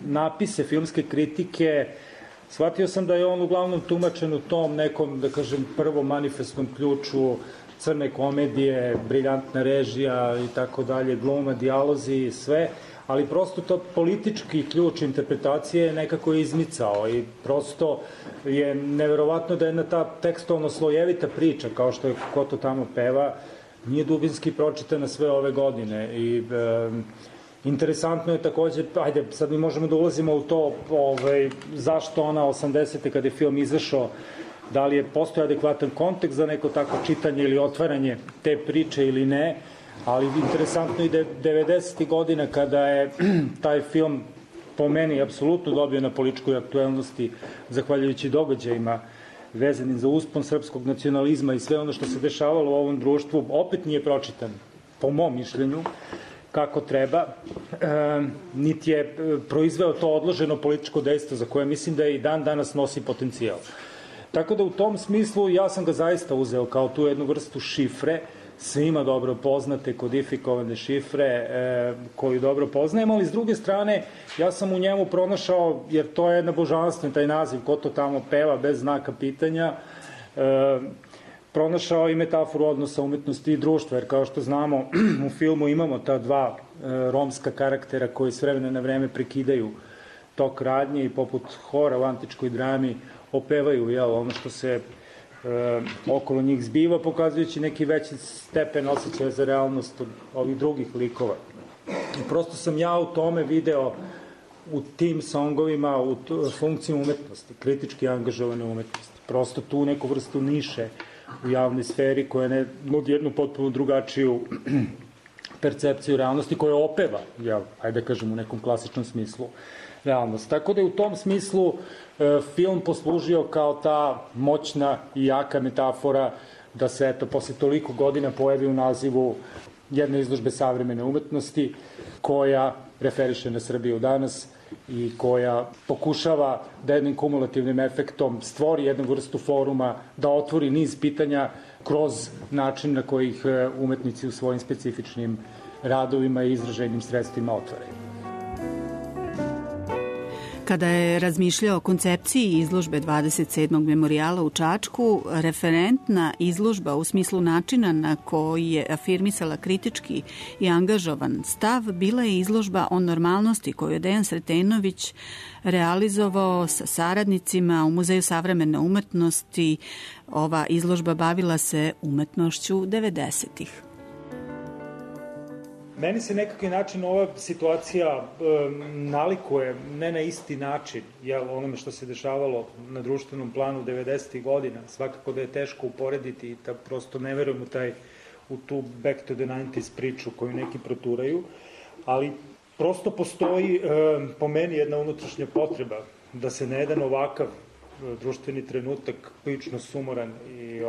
napise filmske kritike shvatio sam da je on uglavnom tumačen u tom nekom, da kažem, prvom manifestnom ključu crne komedije, briljantna režija i tako dalje, gluma, dijalozi i sve, ali prosto to politički ključ interpretacije nekako je izmicao i prosto je neverovatno da jedna ta tekstovno slojevita priča, kao što je Ko to tamo peva, nije dubinski pročitana sve ove godine i interesantno je takođe, ajde, sad mi možemo da ulazimo u to zašto ona 80. kada je film izašao, da li je postoji adekvatan kontekst za neko tako čitanje ili otvaranje te priče ili ne, ali interesantno je da je 90. godina kada je taj film po meni apsolutno dobio na političkoj aktuelnosti zahvaljujući događajima vezanim za uspon srpskog nacionalizma i sve ono što se dešavalo u ovom društvu, opet nije pročitan, po mom mišljenju, kako treba, niti je proizveo to odloženo političko dejstvo za koje mislim da i dan danas nosi potencijal. Tako da u tom smislu ja sam ga zaista uzeo kao tu jednu vrstu šifre, svima dobro poznate, kodifikovane šifre koju dobro poznajemo, ali s druge strane ja sam u njemu pronašao, jer to je jedna božanstvena, taj naziv, Ko to tamo peva, bez znaka pitanja, pronašao i metaforu odnosa umetnosti i društva, jer kao što znamo u filmu imamo ta dva romska karaktera koji s vremena na vreme prekidaju tok radnje i poput hora u antičkoj drami opevaju ono što se okolo njih zbiva, pokazujući neki veći stepen osjećaja za realnost od ovih drugih likova. I prosto sam ja u tome video u tim songovima u funkciju umetnosti, kritički angažovane umetnosti. Prosto tu neku vrstu niše u javnoj sferi koja ne nudi jednu potpuno drugačiju percepciju realnosti koja opeva, ajde da kažem u nekom klasičnom smislu, realnost. Tako da je u tom smislu film poslužio kao ta moćna i jaka metafora da se, eto, posle toliko godina pojavi u nazivu jedne izložbe savremene umetnosti koja referiše na Srbiju danas i koja pokušava da jednim kumulativnim efektom stvori jednu vrstu foruma, da otvori niz pitanja kroz način na koji ih umetnici u svojim specifičnim radovima i izraženim sredstvima otvaraju.
Kada je razmišljao o koncepciji izložbe 27. memorijala u Čačku, referentna izložba u smislu načina na koji je afirmisala kritički i angažovan stav bila je izložba o normalnosti koju je Dejan Sretenović realizovao sa saradnicima u Muzeju savremene umetnosti. Ova izložba bavila se umetnošću 90-ih.
Meni se nekakvi način ova situacija nalikuje, ne na isti način, onome što se dešavalo na društvenom planu 90. godina. Svakako da je teško uporediti i da prosto ne verujem u tu back to the 90s priču koju neki proturaju, ali prosto postoji po meni jedna unutrašnja potreba da se na jedan ovakav društveni trenutak, prilično sumoran i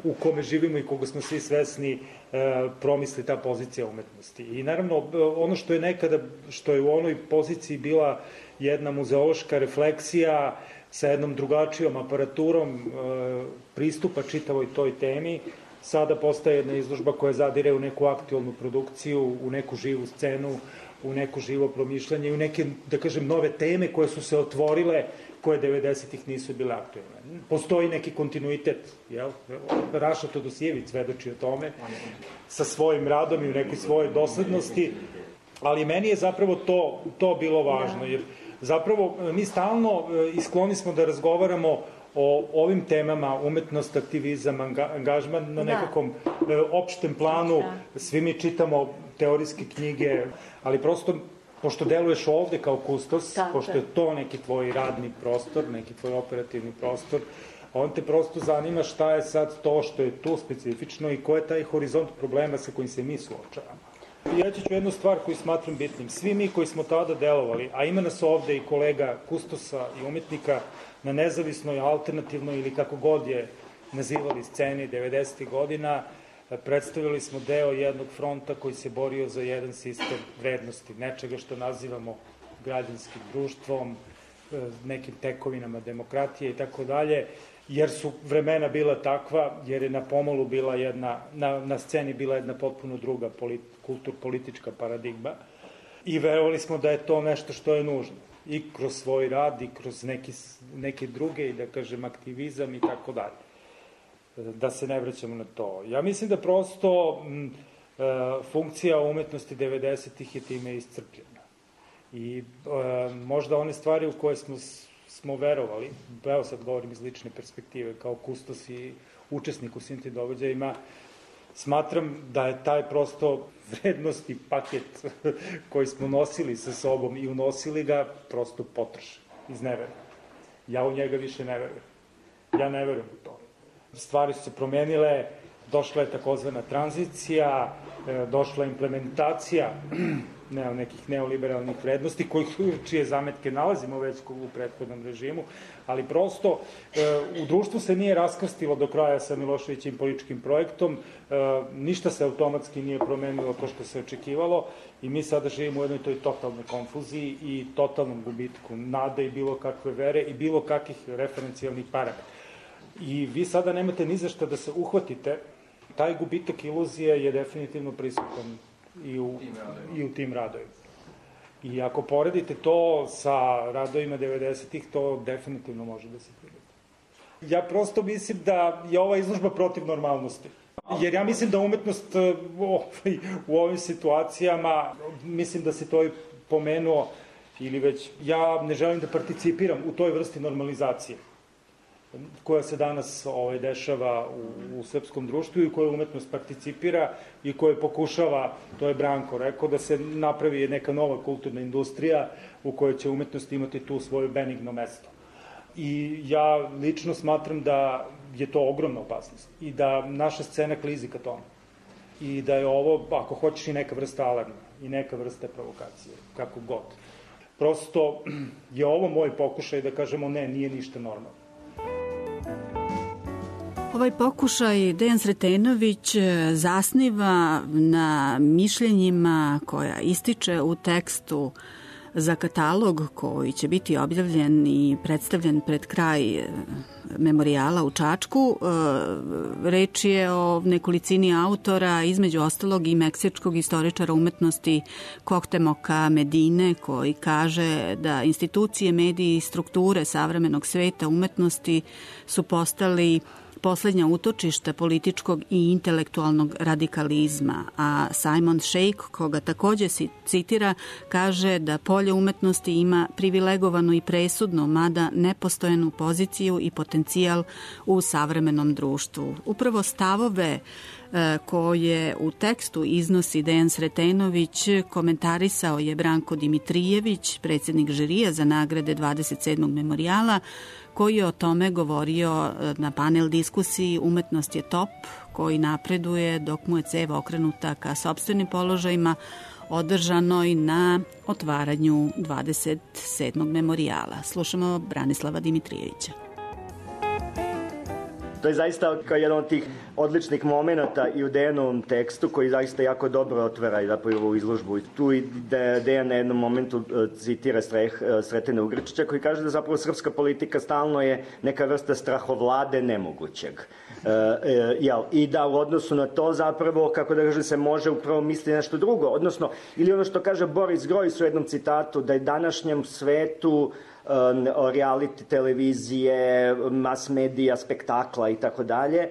u kome živimo i koga smo svi svesni, promisli ta pozicija umetnosti. I naravno, ono što je nekada, što je u onoj poziciji bila jedna muzeološka refleksija sa jednom drugačijom aparaturom pristupa čitavoj toj temi, sada postaje jedna izložba koja zadire u neku aktualnu produkciju, u neku živu scenu, u neko živo promišljanje i u neke, da kažem, nove teme koje su se otvorile, koje 90-ih nisu bile aktualne. Postoji neki kontinuitet, Raša Todosijević svedoči o tome, sa svojim radom i u nekoj svojoj doslednosti, ali meni je zapravo to bilo važno, jer zapravo mi stalno skloni smo da razgovaramo o ovim temama, umetnost, aktivizam, angažman na nekakvom opštem planu, svi mi čitamo teorijske knjige, ali prosto pošto deluješ ovde kao kustos, pošto je to neki tvoj radni prostor, neki tvoj operativni prostor, on te prosto zanima šta je sad to što je tu specifično i ko je taj horizont problema sa kojim se mi suočavamo. Ja ću jednu stvar koju smatram bitnim. Svi mi koji smo tada delovali, a ima nas ovde i kolega kustosa i umetnika na nezavisnoj, alternativnoj ili kako god je nazivali sceni 90. godina, predstavili smo deo jednog fronta koji se borio za jedan sistem vrednosti, nečega što nazivamo građanskim društvom, nekim tekovinama demokratije i tako dalje. jer su vremena bila takva, jer je na pomolu bila jedna, na sceni bila jedna potpuno druga kulturpolitička paradigma i verovali smo da je to nešto što je nužno i kroz svoj rad i kroz neke druge, da kažem, aktivizam i tako dalje. Da se ne vraćamo na to. Ja mislim da prosto funkcija umetnosti 90-ih je time iscrpljena. I možda one stvari u koje smo verovali, evo sad govorim iz lične perspektive, kao kustos i učesnik u svim tim događajima, smatram da je taj prosto vrednosti paket koji smo nosili sa sobom i unosili ga prosto potrošen iz nevere. Ja u njega više ne verujem. Ja ne verujem u to. Stvari su se promenile, došla je takozvana tranzicija, došla je implementacija nekih neoliberalnih vrednosti, čije zametke nalazimo već u prethodnom režimu, ali prosto u društvu se nije raskrstilo do kraja sa Miloševićim političkim projektom, ništa se automatski nije promenilo to što se očekivalo i mi sada živimo u jednoj toj totalnoj konfuziji i totalnom gubitku nade i bilo kakve vere i bilo kakvih referencijalnih parametara. I vi sada nemate ni za šta da se uhvatite, taj gubitak iluzije je definitivno prisutan i u tim radovima. I ako poredite to sa radovima 90-ih, to definitivno može da se primeti. Ja prosto mislim da je ova izložba protiv normalnosti. Jer ja mislim da umetnost u ovim situacijama, mislim da se to i pomenuo, ili već, ja ne želim da participiram u toj vrsti normalizacije koja se danas dešava u srpskom društvu i koja umetnost participira i koja pokušava, to je Branko rekao, da se napravi neka nova kulturna industrija u kojoj će umetnost imati tu svoje benigno mesto. I ja lično smatram da je to ogromna opasnost i da naša scena klizi ka tome. I da je ovo, ako hoćeš, i neka vrsta alarma i neka vrsta provokacije, kako god. Prosto je ovo moj pokušaj da kažemo ne, nije ništa normalno.
Ovaj pokušaj Dejan Sretenović zasniva na mišljenjima koja ističe u tekstu za katalog koji će biti objavljen i predstavljen pred kraj memorijala u Čačku. Reč je o nekolicini autora, između ostalog i meksičkog istoričara umetnosti Koktemoka Medine, koji kaže da institucije, mediji i strukture savremenog sveta umetnosti su postali poslednja utočišta političkog i intelektualnog radikalizma, a Simon Sheikh, koga takođe citira, kaže da polje umetnosti ima privilegovanu i presudnu, mada nepostojanu poziciju i potencijal u savremenom društvu. Upravo stavove koje u tekstu iznosi Dejan Sretenović komentarisao je Branko Dimitrijević, predsjednik žirija za nagrade 27. memorijala, koji je o tome govorio na panel diskusiji Umetnost je top, koji napreduje dok mu je ceva okrenuta ka sopstvenim položajima, održanoj na otvaranju 27. memorijala. Slušamo Branislava Dimitrijevića.
To je zaista kao jedan od tih odličnih momenta i u Dejanovom tekstu koji zaista jako dobro otvara i zapravo ovu izložbu. Tu i Dejan na jednom momentu citira Sretena Ugričića koji kaže da zapravo srpska politika stalno je neka vrsta strahovlade nemogućeg. I da u odnosu na to zapravo, kako da kaže, se može upravo misliti nešto drugo. Odnosno, ili ono što kaže Boris Grojs u jednom citatu, da je današnjem svetu reality televizije, mass medija, spektakla i tako dalje.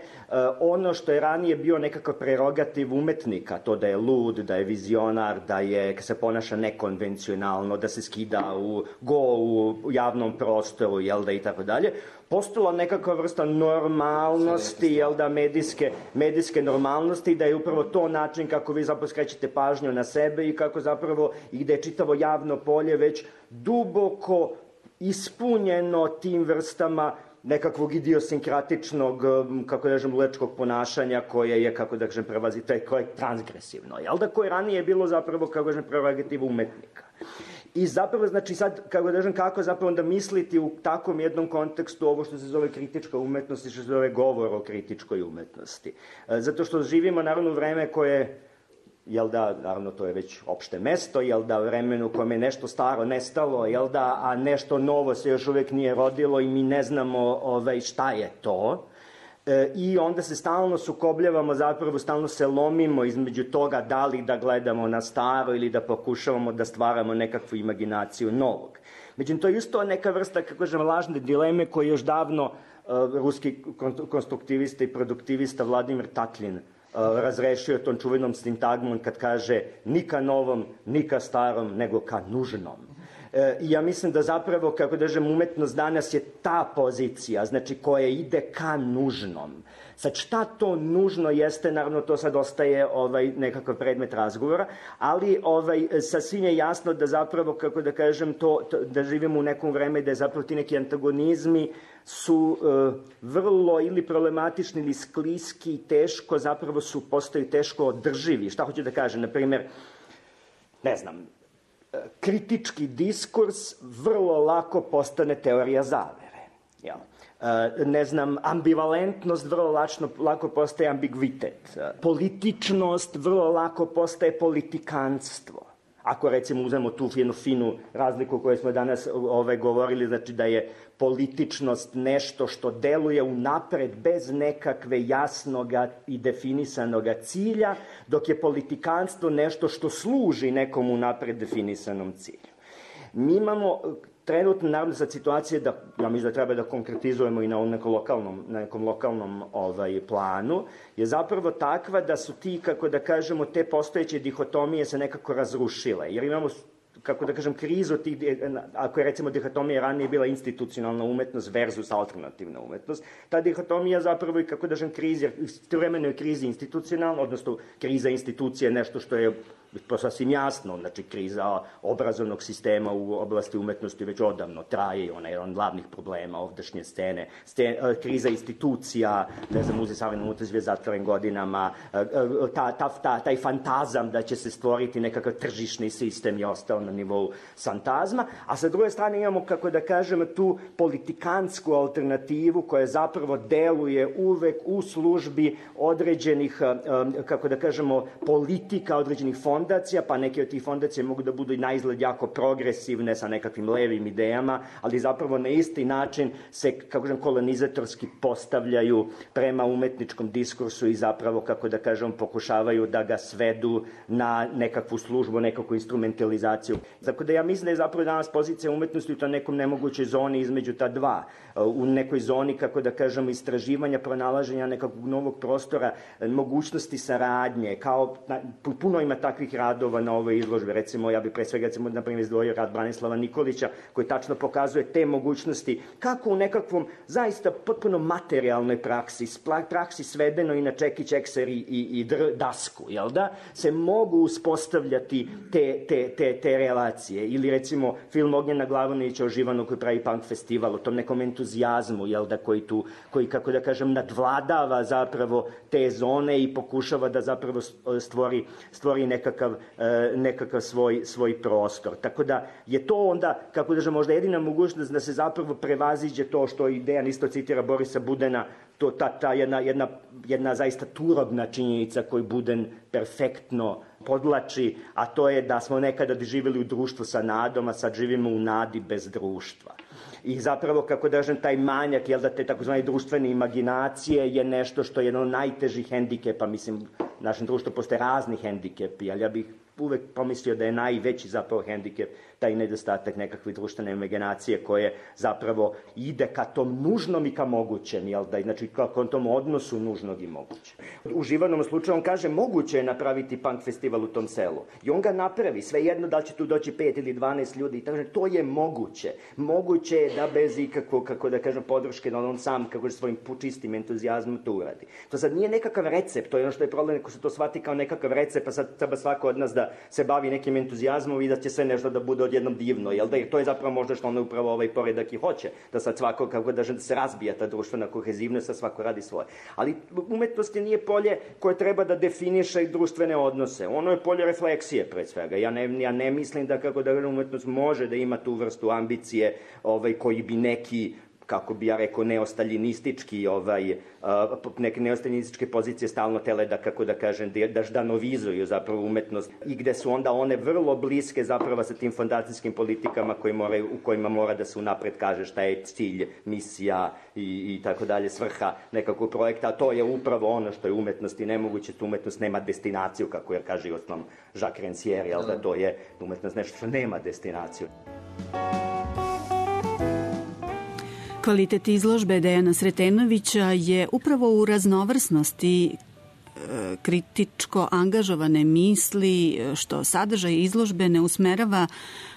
Ono što je ranije bio nekakav prerogativ umetnika, to da je lud, da je vizionar, da se ponaša nekonvencionalno, da se skida u javnom prostoru, i tako dalje, postala nekakva vrsta normalnosti, medijske normalnosti, da je upravo to način kako vi zapravo skrećete pažnju na sebe i kako zapravo, i gde je čitavo javno polje već duboko ispunjeno tim vrstama nekakvog idiosinkratičnog, kako da kažem, lečkog ponašanja koje je, kako da kažem, koje je transgresivno, koje ranije je bilo zapravo, kako da kažem, prerogativ umetnika. I zapravo, znači sad, kako da kažem, kako zapravo onda misliti u takvom jednom kontekstu ovo što se zove kritička umetnost i što se zove govor o kritičkoj umetnosti. Zato što živimo naravno u vreme koje jel da, naravno to je već opšte mesto, jel da, vremenu u kojem je nešto staro nestalo, jel da, a nešto novo se još uvek nije rodilo i mi ne znamo šta je to. I onda se stalno sukobljavamo, zapravo stalno se lomimo između toga da li da gledamo na staro ili da pokušavamo da stvaramo nekakvu imaginaciju novog. Međutim, to je isto neka vrsta, kako kažem, lažne dileme koje još davno ruski konstruktivista i produktivista Vladimir Tatlin razrešio tom čuvenom sintagmom kad kaže ni ka novom, ni ka starom, nego ka nužnom. I ja mislim da zapravo, kako kažem, umetnost danas je ta pozicija, znači koja ide ka nužnom. Sad šta to nužno jeste, naravno to sad ostaje nekakav predmet razgovora, ali sasvim je jasno da zapravo, kako da kažem, da živimo u nekom vreme da je zapravo ti neki antagonizmi su vrlo ili problematični ili skliski i teško, zapravo postaju teško održivi. Šta hoću da kažem? Naprimer, ne znam, kritički diskurs vrlo lako postane teorija zavere. Jel? Ne znam, ambivalentnost vrlo lako postaje ambigvitet. Političnost vrlo lako postaje politikanstvo. Ako recimo uzmemo tu jednu finu razliku koju smo danas govorili, znači da je političnost nešto što deluje unapred bez nekakve jasnoga i definisanoga cilja, dok je politikanstvo nešto što služi nekom unapred definisanom cilju. Mi imamo trenutno, naravno, sad situacije da, ja mislim da treba da konkretizujemo i na nekom lokalnom planu, je zapravo takva da su ti, kako da kažemo, te postojeće dihotomije se nekako razrušile. Jer imamo, kako da kažem, krizu tih, ako je recimo dihotomija ranije bila institucionalna umetnost versus alternativna umetnost, ta dihotomija zapravo i, kako da kažem, krizi, istovremeno je krizi institucionalna, odnosno kriza institucije nešto što je sasvim jasno, znači kriza obrazovnog sistema u oblasti umetnosti već odavno traje i ona je jedan od glavnih problema ovdašnje scene. Kriza institucija, ne znam, Muzej savremene umetnosti je zatvoren godinama, taj fantazam da će se stvoriti nekakav tržišni sistem je ostao na nivou fantazma, a sa druge strane imamo, kako da kažem, tu politikansku alternativu koja zapravo deluje uvek u službi određenih, kako da kažemo, politika, određenih fondacija, pa neke od tih fondacija mogu da budu i na izgled jako progresivne sa nekakvim levim idejama, ali zapravo na isti način se, kako kažem, kolonizatorski postavljaju prema umetničkom diskursu i zapravo, kako da kažem, pokušavaju da ga svedu na nekakvu službu, nekakvu instrumentalizaciju. Tako da ja mislim da je zapravo danas pozicija umetnosti u toj nekom nemogućoj zoni između ta dva. U nekoj zoni, kako da kažemo, istraživanja, pronalaženja nekakvog novog prostora, mogućnosti saradnje, kao puno ima takvih radova na ovoj izložbi. Recimo, ja bih pre svega, na primjer, izdvojio rad Branislava Nikolića, koji tačno pokazuje te mogućnosti, kako u nekakvom zaista potpuno materijalnoj praksi svedeno i na čekić, ekser i dasku, jel da, se mogu uspostavljati te relacije. Ili recimo film Ognjena Glavonića o Živanu koji pravi punk festival, o tom nekom entuzijazmu, jel da, koji, kako da kažem, nadvladava zapravo te zone i pokušava da zapravo stvori nekakav svoj prostor. Tako da je to onda, kako da kažem, možda jedina mogućnost da se zapravo prevaziđe to što Dejan isto citira Borisa Budena, ta jedna zaista turobna činjenica koju Buden perfektno podlači, a to je da smo nekada živjeli u društvu sa nadom, a sad živimo u nadi bez društva. I zapravo, kako da kažem, taj manjak, jel da, te takozvane društvene imaginacije je nešto što je jedan od najtežih hendikepa, mislim, u našem društvu postoje razni hendikepi, ali ja bih uvek pomislio da je najveći zapravo hendikep taj nedostatak nekakve društvene imaginacije koje zapravo ide ka tom nužnom i ka mogućem, jel da, znači ka tom odnosu nužnog i mogućem. U Živanom slučaju on kaže moguće je napraviti punk festival u tom selu i on ga napravi, svejedno da li će tu doći 5 ili 12 ljudi i tako, to je moguće. Moguće je da bez ikakvog, kako da kažem, podrške, da on sam, kako svojim čistim entuzijazmom to uradi. To sad nije nekakav recept, to je ono što je problem, ako se to shvati kao nekakav recept, pa sad treba svako od nas da se bavi nekim entuzijazmom i da će sve nešto da bude odjednom divno, jel da? Jer to je zapravo možda što ono upravo ovaj poredak i hoće, da sad svako, kako da se razbija ta društvena kohezivnost, da svako radi svoje. Ali umetnost nije polje koje treba da definiše društvene odnose. Ono je polje refleksije, pred svega. Ja ne mislim da, kako da umetnost može da ima tu vrstu ambicije koji bi neki kako bi ja rekao, neostaljinistički, neke neostaljinističke pozicije stalno tele da, kako da kažem, da ždanovizuju zapravo umetnost i gde su onda one vrlo bliske zapravo sa tim fondacijskim politikama u kojima mora da se unapred kaže šta je cilj, misija i tako dalje, svrha nekakvog projekta, a to je upravo ono što je umetnost i nemoguće, umetnost nema destinaciju, kako je kaže osnovno Jacques Rancière, jel da to je umetnost nešto što nema destinaciju.
Kvalitet izložbe Dejana Sretenovića je upravo u raznovrsnosti kritičko angažovane misli, što sadržaj izložbe ne usmerava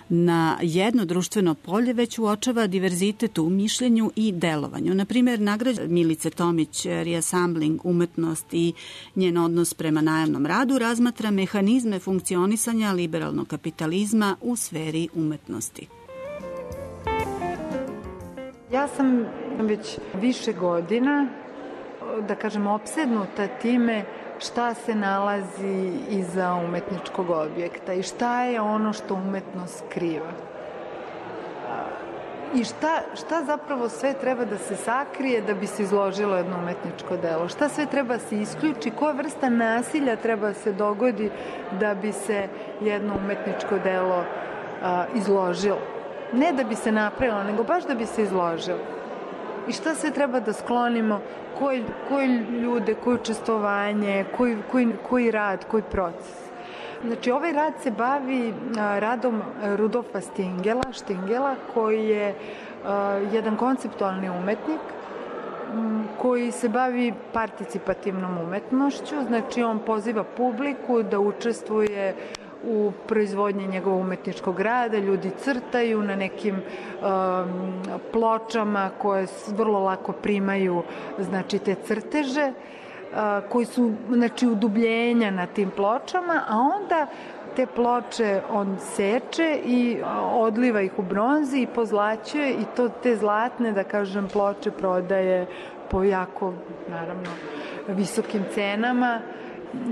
na jedno društveno polje, već uočava diverzitet u mišljenju i delovanju. Naprimjer, nagrađa Milice Tomić reassembling umetnost i njen odnos prema najamnom radu razmatra mehanizme funkcionisanja liberalnog kapitalizma u sferi umetnosti.
Ja sam već više godina, da kažem, opsednuta time šta se nalazi iza umetničkog objekta i šta je ono što umetnost skriva. I šta zapravo sve treba da se sakrije da bi se izložilo jedno umetničko delo? Šta sve treba se isključi? Koja vrsta nasilja treba se dogodi da bi se jedno umetničko delo izložilo? Ne da bi se napravilo, nego baš da bi se izložilo. I šta sve treba da sklonimo, koji ljude, koje učestvovanje, koji rad, koji proces. Znači, ovaj rad se bavi radom Rudolfa Stingela, koji je jedan konceptualni umetnik, koji se bavi participativnom umetnošću, znači on poziva publiku da učestvuje u proizvodnji njegovog umetničkog rada, ljudi crtaju na nekim pločama koje vrlo lako primaju, znači, te crteže, koji su, znači, udubljenja na tim pločama, a onda te ploče on seče i odliva ih u bronzi i pozlaćuje i te zlatne, da kažem, ploče prodaje po jako, naravno, visokim cenama.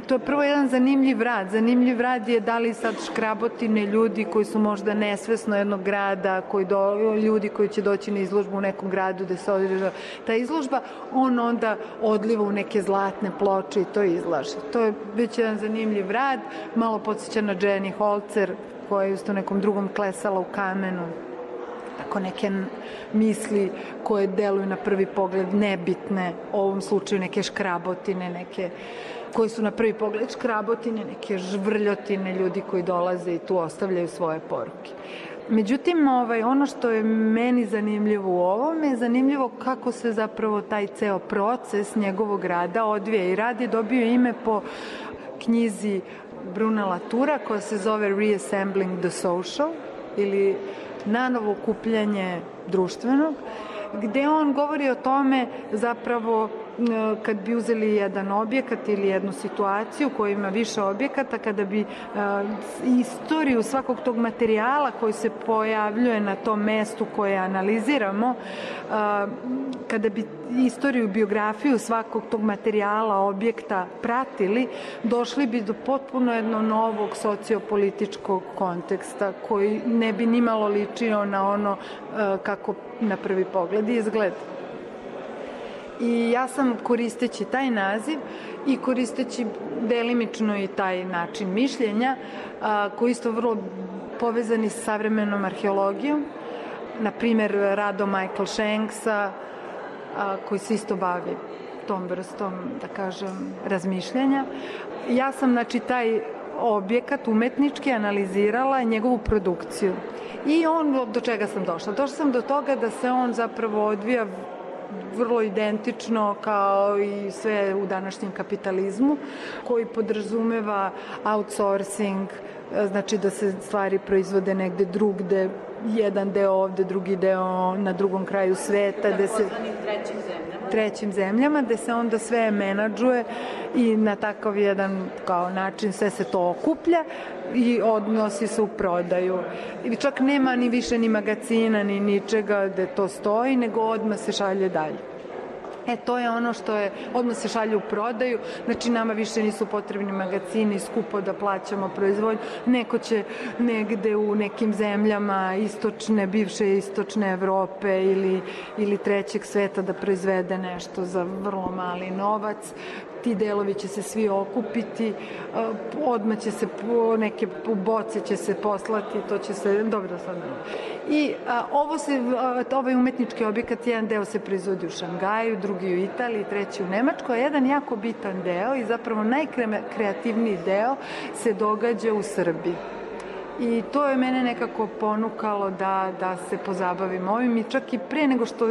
To je prvo jedan zanimljiv rad. Zanimljiv rad je da li sad škrabotine ljudi koji su možda nesvesno jednog grada, ljudi koji će doći na izložbu u nekom gradu gde se održava ta izložba, on onda odliva u neke zlatne ploče i to izlaže. To je već jedan zanimljiv rad, malo podsjeća na Jenny Holzer, koja je u nekom drugom klesala u kamenu. Tako neke misli koje deluju na prvi pogled nebitne, u ovom slučaju neke škrabotine, neke koji su na prvi pogled škrabotine, neke žvrljotine, ljudi koji dolaze i tu ostavljaju svoje poruke. Međutim, ono što je meni zanimljivo u ovome je zanimljivo kako se zapravo taj ceo proces njegovog rada odvija. I rad je dobio ime po knjizi Bruna Latoura koja se zove Reassembling the Social ili nanovo okupljanje društvenog, gde on govori o tome zapravo kad bi uzeli jedan objekat ili jednu situaciju koja ima više objekata, kada bi istoriju svakog tog materijala koji se pojavljuje na tom mestu koje analiziramo, kada bi istoriju, biografiju svakog tog materijala, objekta pratili, došli bi do potpuno jednog novog sociopolitičkog konteksta koji ne bi nimalo ličio na ono kako na prvi pogled izgleda. I ja sam, koristeći taj naziv i koristeći delimično i taj način mišljenja, koji isto vrlo povezani sa savremenom arheologijom, na primjer radom Michael Shanksa, koji se isto bavi tom vrstom, da kažem, razmišljanja. Ja sam, znači, taj objekat umetnički analizirala njegovu produkciju. I do čega sam došla? Došla sam do toga da se on zapravo odvija vrlo identično kao i sve u današnjem kapitalizmu, koji podrazumeva outsourcing, znači da se stvari proizvode negde drugde, jedan deo ovde, drugi deo na drugom kraju sveta, da se trećim zemljama, gde se onda sve menadžuje i na takav jedan kao način sve se to okuplja i odnosi se u prodaju. I čak nema ni više ni magazina, ni ničega gde to stoji, nego odmah se šalje dalje. To je ono što je, odmah se šalje u prodaju, znači nama više nisu potrebni magazini, skupo da plaćamo proizvodnju, neko će negde u nekim zemljama bivše istočne Evrope ili trećeg sveta da proizvede nešto za vrlo mali novac. Ti delovi će se svi okupiti, odmah će se neke boce će se poslati, to će se, dobro sad. I ovaj umetnički objekat, jedan deo se proizvodi u Šangaju, drugi u Italiji, treći u Nemačkoj, a jedan jako bitan deo i zapravo najkreativniji deo se događa u Srbiji. I to je mene nekako ponukalo da se pozabavim ovim i čak i pre nego što,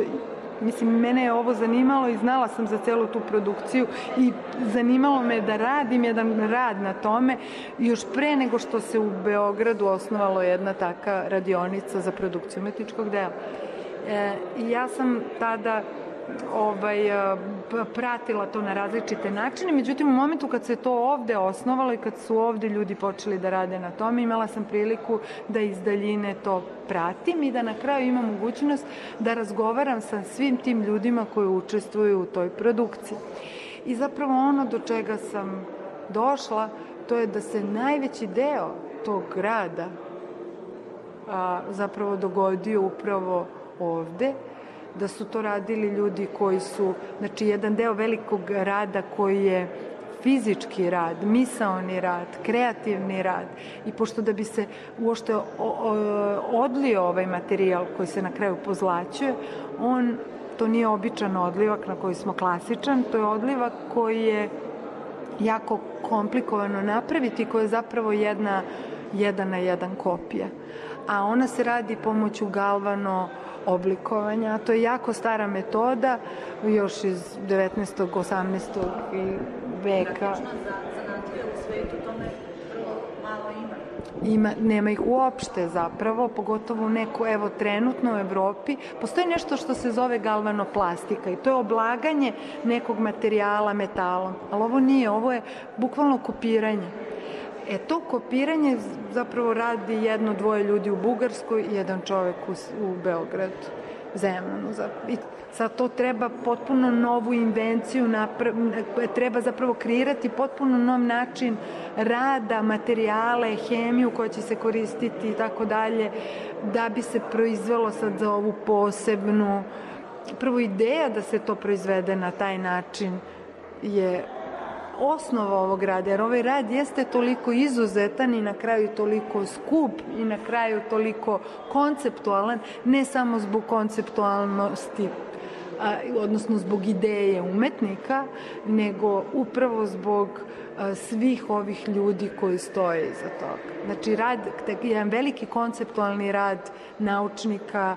mene je ovo zanimalo i znala sam za celu tu produkciju i zanimalo me da radim jedan rad na tome još pre nego što se u Beogradu osnovalo jedna taka radionica za produkciju umetničkog dela. I ja sam tada pratila to na različite načine, međutim u momentu kad se to ovde osnovalo i kad su ovde ljudi počeli da rade na tome, imala sam priliku da iz daljine to pratim i da na kraju imam mogućnost da razgovaram sa svim tim ljudima koji učestvuju u toj produkciji. I zapravo ono do čega sam došla, to je da se najveći deo tog rada zapravo dogodio upravo ovde, da su to radili ljudi koji su, znači jedan deo velikog rada koji je fizički rad, misaoni rad, kreativni rad i pošto da bi se uopšte odlio ovaj materijal koji se na kraju pozlaćuje, to nije običan odlivak na koji smo klasičan, to je odlivak koji je jako komplikovano napraviti, koji je zapravo jedan na jedan kopija. A ona se radi pomoću galvano oblikovanja. To je jako stara metoda, još iz 19. 18. veka.
Zanatlije u svetu tome vrlo malo
Nema ih uopšte zapravo, pogotovo trenutno u Evropi. Postoji nešto što se zove galvanoplastika i to je oblaganje nekog materijala metalom, ali ovo nije, ovo je bukvalno kopiranje. To kopiranje zapravo radi 1-2 ljudi u Bugarskoj i jedan čovek u Beogradu, Zemunu. I sad to treba potpuno novu invenciju, treba zapravo kreirati potpuno nov način rada, materijale, hemiju koja će se koristiti i tako dalje, da bi se proizvelo sad za ovu posebnu. Prvo ideja da se to proizvede na taj način je osnova ovog rada, jer ovaj rad jeste toliko izuzetan i na kraju toliko skup i na kraju toliko konceptualan, ne samo zbog konceptualnosti, odnosno zbog ideje umetnika, nego upravo zbog svih ovih ljudi koji stoje iza toga. Znači, jedan veliki konceptualni rad naučnika.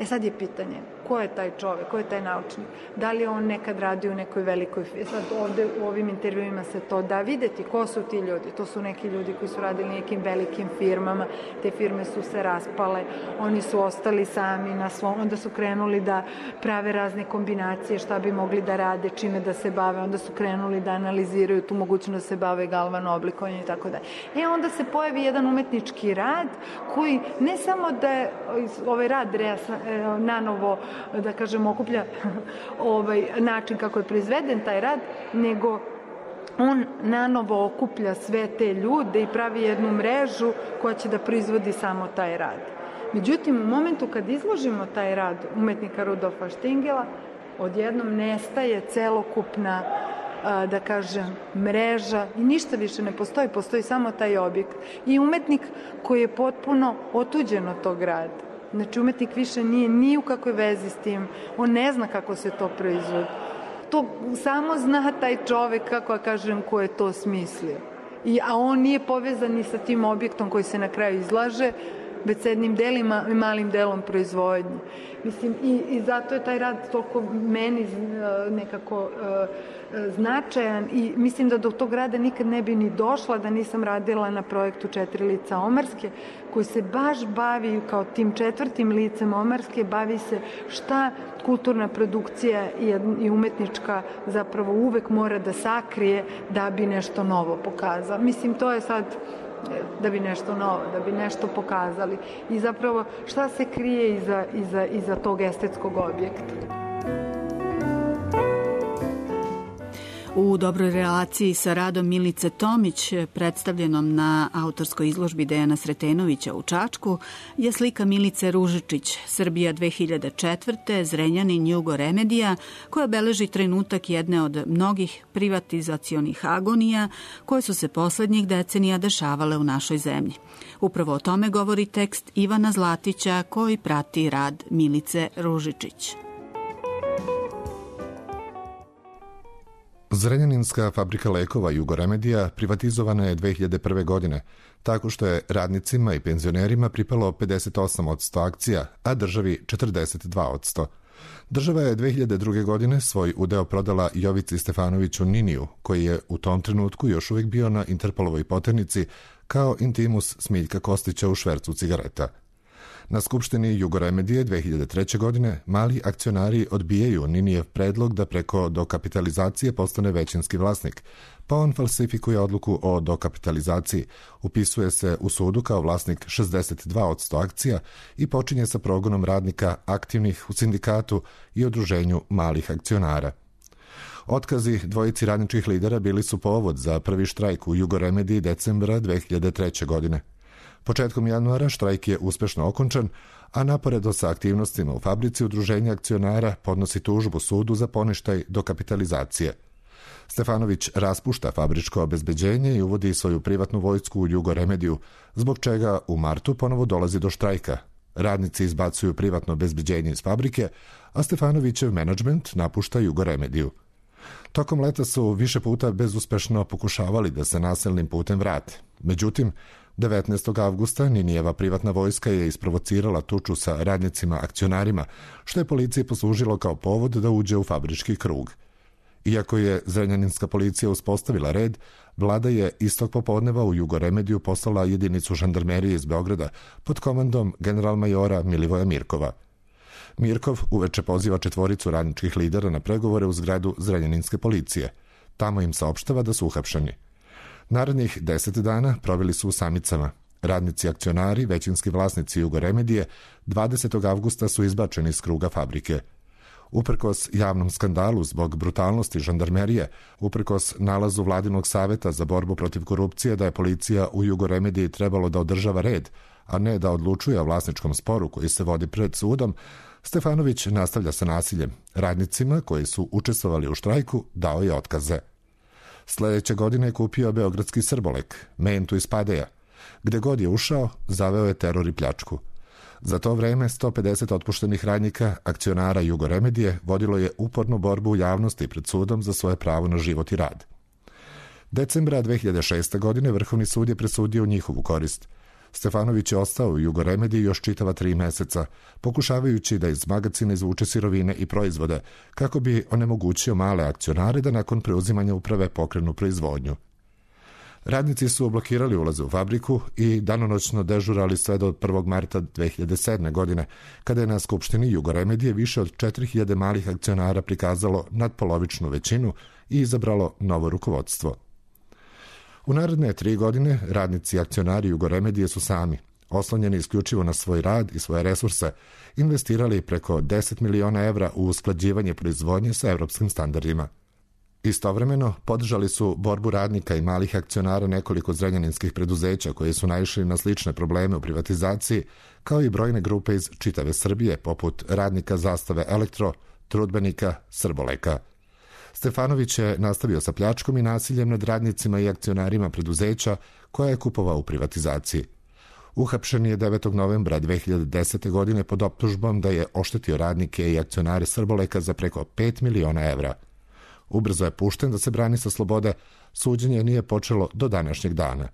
Sad je pitanje, ko je taj čovek, ko je taj naučnik? Da li on nekad radi u nekoj velikoj firmi? Sad ovde u ovim intervjuima se to da videti ko su ti ljudi. To su neki ljudi koji su radili nekim velikim firmama, te firme su se raspale, oni su ostali sami na svom, onda su krenuli da prave razne kombinacije, šta bi mogli da rade, čime da se bave, onda su krenuli da analiziraju tu mogućnost da se bave galvano oblikovanjem i tako dalje. Onda se pojavi jedan umetnički rad koji ne samo da je ovaj rad nanovo, da kažem, okuplja način kako je proizveden taj rad, nego on nanovo okuplja sve te ljude i pravi jednu mrežu koja će da proizvodi samo taj rad. Međutim, u momentu kad izložimo taj rad umetnika Rudolfa Štingela, odjednom nestaje celokupna, da kažem, mreža i ništa više ne postoji, postoji samo taj objekt. I umetnik koji je potpuno otuđen od tog rada. Znači, umetnik više nije ni u kakvoj vezi s tim, on ne zna kako se to proizvodi. To samo zna taj čovek, kako ja kažem, ko je to smislio. A on nije povezan ni sa tim objektom koji se na kraju izlaže, već s jednim delima i malim delom proizvodnje. Mislim, i zato je taj rad toliko meni nekako značajan i mislim da do tog rada nikad ne bi ni došla da nisam radila na projektu 4 lica Omarske, koji se baš bavi kao tim 4. licem Omarske, bavi se šta kulturna produkcija i umetnička zapravo uvek mora da sakrije da bi nešto novo pokazala. Mislim, to je sad da bi nešto novo, da bi nešto pokazali. I zapravo šta se krije iza tog estetskog objekta.
U dobroj relaciji sa radom Milice Tomić, predstavljenom na autorskoj izložbi Dejana Sretenovića u Čačku, je slika Milice Ružičić, Srbija 2004. Zrenjanin Jugo Remedija, koja beleži trenutak jedne od mnogih privatizacionih agonija koje su se poslednjih decenija dešavale u našoj zemlji. Upravo o tome govori tekst Ivana Zlatića koji prati rad Milice Ružičić.
Zrenjaninska fabrika lekova Jugo Remedija privatizovana je 2001. godine, tako što je radnicima i penzionerima pripalo 58% akcija, a državi 42%. Država je 2002. godine svoj udeo prodala Jovici Stefanoviću Niniju, koji je u tom trenutku još uvijek bio na Interpolovoj poternici kao intimus Smiljka Kostića u švercu cigareta. Na Skupštini Jugo Remedije 2003. godine mali akcionari odbijaju Ninijev predlog da preko dokapitalizacije postane većinski vlasnik, pa on falsifikuje odluku o dokapitalizaciji, upisuje se u sudu kao vlasnik 62% akcija i počinje sa progonom radnika aktivnih u sindikatu i udruženju malih akcionara. Otkazi dvojici radničkih lidera bili su povod za prvi štrajk u Jugo Remediji decembra 2003. godine. Početkom januara štrajk je uspešno okončan, a naporedo sa aktivnostima u fabrici udruženja akcionara podnosi tužbu sudu za poništaj dokapitalizacije. Stefanović raspušta fabričko obezbeđenje i uvodi svoju privatnu vojsku u Jugo Remediju, zbog čega u martu ponovo dolazi do štrajka. Radnici izbacuju privatno obezbeđenje iz fabrike, a Stefanovićev menadžment napušta Jugo Remediju. Tokom leta su više puta bezuspešno pokušavali da se nasilnim putem vrate. Međutim, 19. avgusta Ninijeva privatna vojska je isprovocirala tuču sa radnicima akcionarima, što je policiji poslužilo kao povod da uđe u fabrički krug. Iako je zrenjaninska policija uspostavila red, vlada je istog popodneva u Jugo Remediju poslala jedinicu žandarmerije iz Beograda pod komandom generalmajora Milivoja Mirkova. Mirkov uveče poziva četvoricu radničkih lidera na pregovore u zgradu zrenjaninske policije. Tamo im saopštava da su uhapšeni. Narednih 10 dana proveli su u samicama. Radnici akcionari, većinski vlasnici Jugo Remedije, 20. avgusta su izbačeni iz kruga fabrike. Uprkos javnom skandalu zbog brutalnosti žandarmerije, uprkos nalazu Vladinog saveta za borbu protiv korupcije da je policija u Jugo Remediji trebalo da održava red, a ne da odlučuje o vlasničkom sporu koji se vodi pred sudom, Stefanović nastavlja sa nasiljem. Radnicima koji su učestvovali u štrajku dao je otkaze. Sledeće godine je kupio beogradski Srbolek, mentu iz Padeja. Gde god je ušao, zaveo je teror i pljačku. Za to vreme 150 otpuštenih radnika, akcionara Jugo Remedije, vodilo je upornu borbu u javnosti pred sudom za svoje pravo na život i rad. Decembra 2006. godine Vrhovni sud je presudio njihovu korist. Stefanović je ostao u Jugo Remediji još čitava 3 meseca, pokušavajući da iz magacina izvuče sirovine i proizvode, kako bi onemogućio male akcionare da nakon preuzimanja uprave pokrenu proizvodnju. Radnici su blokirali ulaze u fabriku i danonoćno dežurali sve do 1. marta 2007. godine, kada je na Skupštini Jugo Remedije više od 4000 malih akcionara prikazalo nadpolovičnu većinu i izabralo novo rukovodstvo. U naredne 3 godine radnici i akcionari Jugo Remedije su sami, oslonjeni isključivo na svoj rad i svoje resurse, investirali preko 10 miliona evra u usklađivanje proizvodnje sa evropskim standardima. Istovremeno, podržali su borbu radnika i malih akcionara nekoliko zrenjaninskih preduzeća koji su naišli na slične probleme u privatizaciji, kao i brojne grupe iz čitave Srbije, poput radnika Zastave Elektro, trudbenika, Srboleka. Stefanović je nastavio sa pljačkom i nasiljem nad radnicima i akcionarima preduzeća koja je kupovao u privatizaciji. Uhapšen je 9. novembra 2010. godine pod optužbom da je oštetio radnike i akcionare Srboleka za preko 5 miliona evra. Ubrzo je pušten da se brani sa slobode, suđenje nije počelo do današnjeg dana.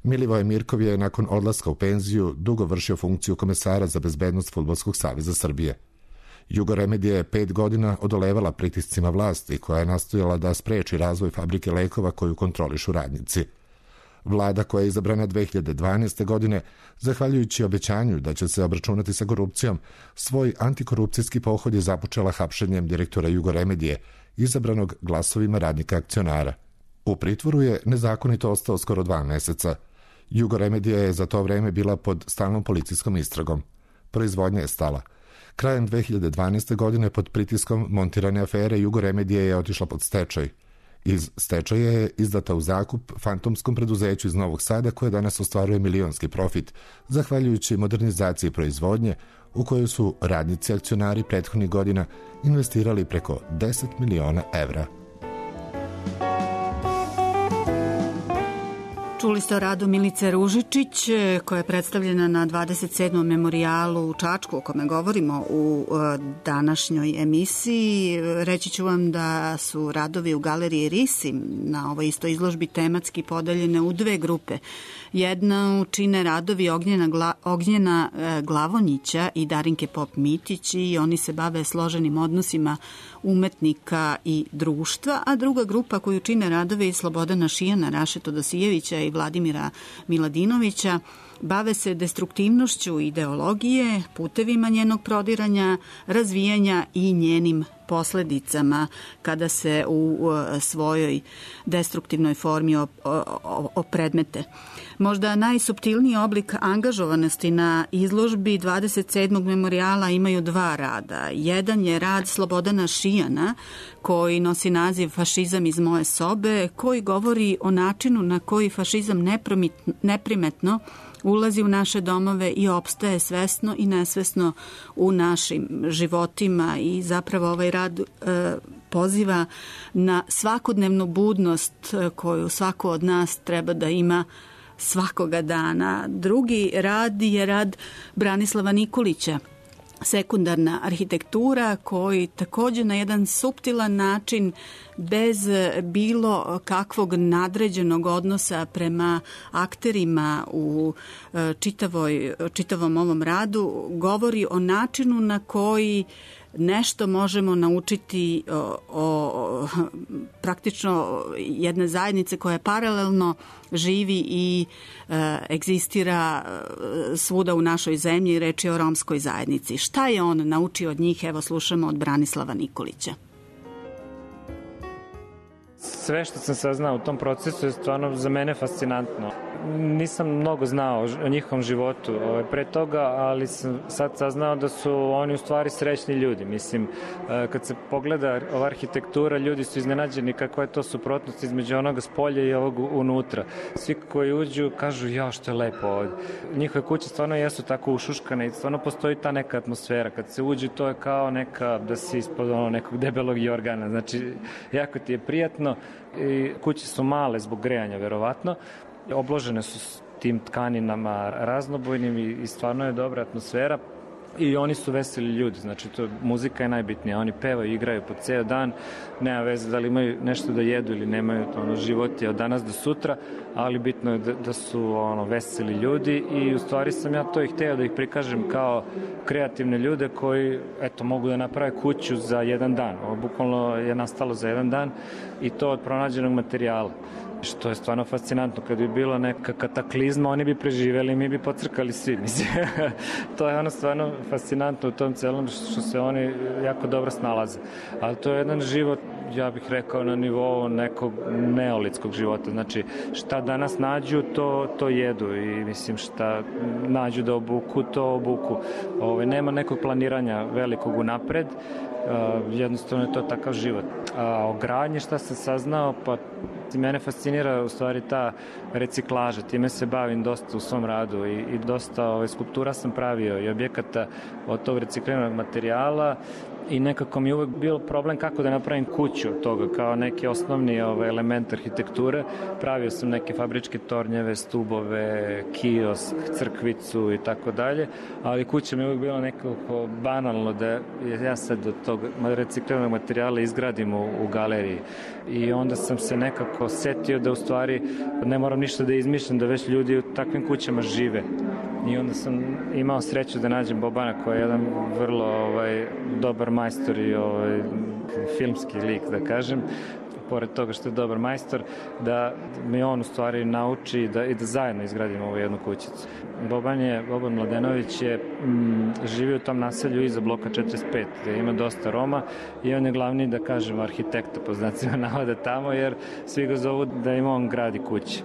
Milivoje Mirkov je nakon odlaska u penziju dugo vršio funkciju komesara za bezbednost Fudbalskog saveza Srbije. Jugo Remedija je 5 godina odolevala pritiscima vlasti koja je nastojala da spreči razvoj fabrike lekova koju kontrolišu radnici. Vlada koja je izabrana 2012. godine, zahvaljujući obećanju da će se obračunati sa korupcijom, svoj antikorupcijski pohod je započela hapšenjem direktora Jugo Remedije, izabranog glasovima radnika akcionara. U pritvoru je nezakonito ostao skoro 2 meseca. Jugo Remedija je za to vreme bila pod stalnom policijskom istragom. Proizvodnja je stala. Krajem 2012. godine pod pritiskom montirane afere Jugo Remedija je otišla pod stečaj. Iz stečaja je izdata u zakup fantomskom preduzeću iz Novog Sada koje danas ostvaruje milionski profit, zahvaljujući modernizaciji proizvodnje u kojoj su radnici akcionari prethodnih godina investirali preko 10 miliona evra.
Čuli ste o radu Milice Ružičić, koja je predstavljena na 27. memorijalu u Čačku, o kome govorimo u današnjoj emisiji. Reći ću vam da su radovi u galeriji Risi na ovoj istoj izložbi tematski podeljene u dve grupe. Jedna čine radovi Ognjena Glavonjića i Darinke Pop-Mitić i oni se bave složenim odnosima umetnika i društva, a druga grupa koju čine radovi Slobodana Šijana, Raše Todosijevića i Vladimira Miladinovića bave se destruktivnošću ideologije, putevima njenog prodiranja, razvijanja i njenim posledicama kada se u svojoj destruktivnoj formi opredmete. Možda najsuptilniji oblik angažovanosti na izložbi 27. memorijala imaju dva rada. Jedan je rad Slobodana Šijana, koji nosi naziv Fašizam iz moje sobe, koji govori o načinu na koji fašizam neprimetno ulazi u naše domove i opstaje svesno i nesvesno u našim životima i zapravo ovaj rad poziva na svakodnevnu budnost koju svako od nas treba da ima svakoga dana. Drugi rad je rad Branislava Nikolića, Sekundarna arhitektura, koji također na jedan suptilan način, bez bilo kakvog nadređenog odnosa prema akterima u čitavom ovom radu, govori o načinu na koji nešto možemo naučiti o praktično jedne zajednice koja paralelno živi i egzistira svuda u našoj zemlji. Reč je o romskoj zajednici. Šta je on naučio od njih? Evo slušamo od Branislava Nikolića.
Sve što sam saznao u tom procesu je stvarno za mene fascinantno. Nisam mnogo znao o njihovom životu pre toga, ali sam sad saznao da su oni u stvari srećni ljudi. Mislim, kad se pogleda ova arhitektura, ljudi su iznenađeni kakva je to suprotnost između onoga s polja i ovog unutra. Svi koji uđu kažu, ja, što je lepo ovdje. Njihove kuće stvarno jesu tako ušuškane i stvarno postoji ta neka atmosfera. Kad se uđe, to je kao neka, da si ispod nekog debelog jorgana. Znači, jako ti je prijatno. I kuće su male zbog grejanja, verovatno. Obložene su s tim tkaninama raznobojnim i stvarno je dobra atmosfera. I oni su veseli ljudi, znači muzika je najbitnija, oni pevaju, igraju po ceo dan, nema veze da li imaju nešto da jedu ili nemaju, život je od danas do sutra, ali bitno je da su veseli ljudi i u stvari sam ja to i hteo da ih prikažem kao kreativne ljude koji mogu da naprave kuću za jedan dan. Ovo bukvalno je nastalo za jedan dan i to od pronađenog materijala. Što je stvarno fascinantno, kad bi bila neka kataklizma, oni bi preživeli i mi bi pocrkali svi. Mislim, to je stvarno fascinantno u tom celom što se oni jako dobro snalaze. Ali to je jedan život, ja bih rekao, na nivou nekog neolitskog života. Znači, šta danas nađu, to jedu i mislim šta nađu da obuku, to obuku. Nema nekog planiranja velikog unapred, jednostavno je to takav život. A o gradnji šta sam saznao, pa mene fascinira u stvari ta reciklaža, time se bavim dosta u svom radu i dosta skulptura sam pravio i objekata od tog recikliranog materijala i nekako mi je uvek bilo problem kako da napravim kuću od toga, kao neki osnovni element arhitekture. Pravio sam neke fabričke tornjeve, stubove, kiosk, crkvicu i tako dalje, ali kuća mi je uvek bilo nekako banalno da ja sad od tog recikliranog materijala izgradim u galeriji. I onda sam se nekako setio da u stvari ne moram ništa da izmišljam, da već ljudi u takvim kućama žive. I onda sam imao sreću da nađem Bobana koji je jedan vrlo dobar majstor i filmski lik, da kažem, pored toga što je dobar majstor, da mi on u stvari nauči i da zajedno izgradimo ovu jednu kućicu. Boban Mladenović je živi u tom naselju iza bloka 45, gde ima dosta Roma i on je glavni, da kažem, arhitekta po znacima navoda tamo, jer svi ga zovu da im on gradi kuće.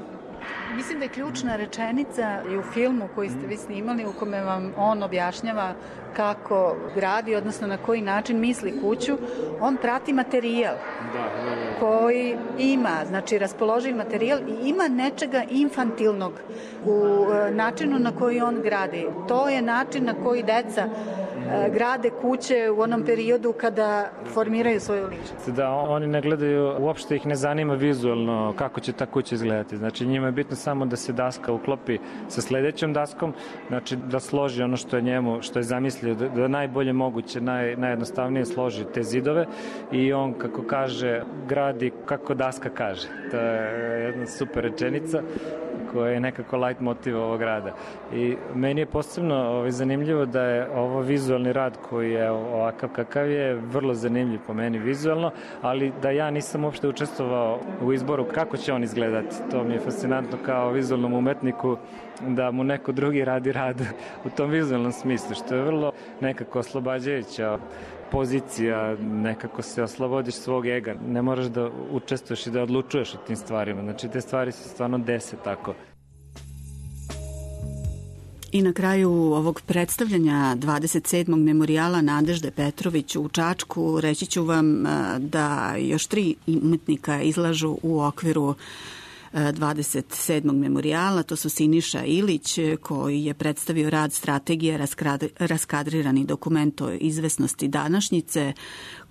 Mislim da je ključna rečenica i u filmu koji ste vi snimali, u kome vam on objašnjava kako gradi, odnosno na koji način misli kuću. On prati materijal koji ima, znači raspoloživ materijal i ima nečega infantilnog u načinu na koji on gradi. To je način na koji deca grade kuće u onom periodu kada formiraju svoju ličnost.
Da, oni ne gledaju, uopšte ih ne zanima vizualno kako će ta kuća izgledati. Znači njima je bitno samo da se daska uklopi sa sledećom daskom, znači da složi ono što je njemu, što je zamislio, da najbolje moguće, najjednostavnije složi te zidove i on, kako kaže, gradi kako daska kaže. To je jedna super rečenica koja je nekako light motiv ovog rada. I meni je posebno zanimljivo da je ovo vizualni rad koji je ovakav kakav je, vrlo zanimljiv po meni vizualno, ali da ja nisam uopšte učestvovao u izboru kako će on izgledati. To mi je fascinantno kao vizualnom umetniku da mu neko drugi radi rad u tom vizualnom smislu, što je vrlo nekako oslobađajuća pozicija, nekako se oslobodiš svog ega. Ne moraš da učestvuješ i da odlučuješ o tim stvarima. Znači, te stvari se stvarno dese tako.
I na kraju ovog predstavljanja 27. memorijala Nadežde Petrović u Čačku reći ću vam da još 3 umetnika izlažu u okviru 27. memorijala. To su Siniša Ilić, koji je predstavio rad strategije raskadrirani dokument o izvesnosti današnjice,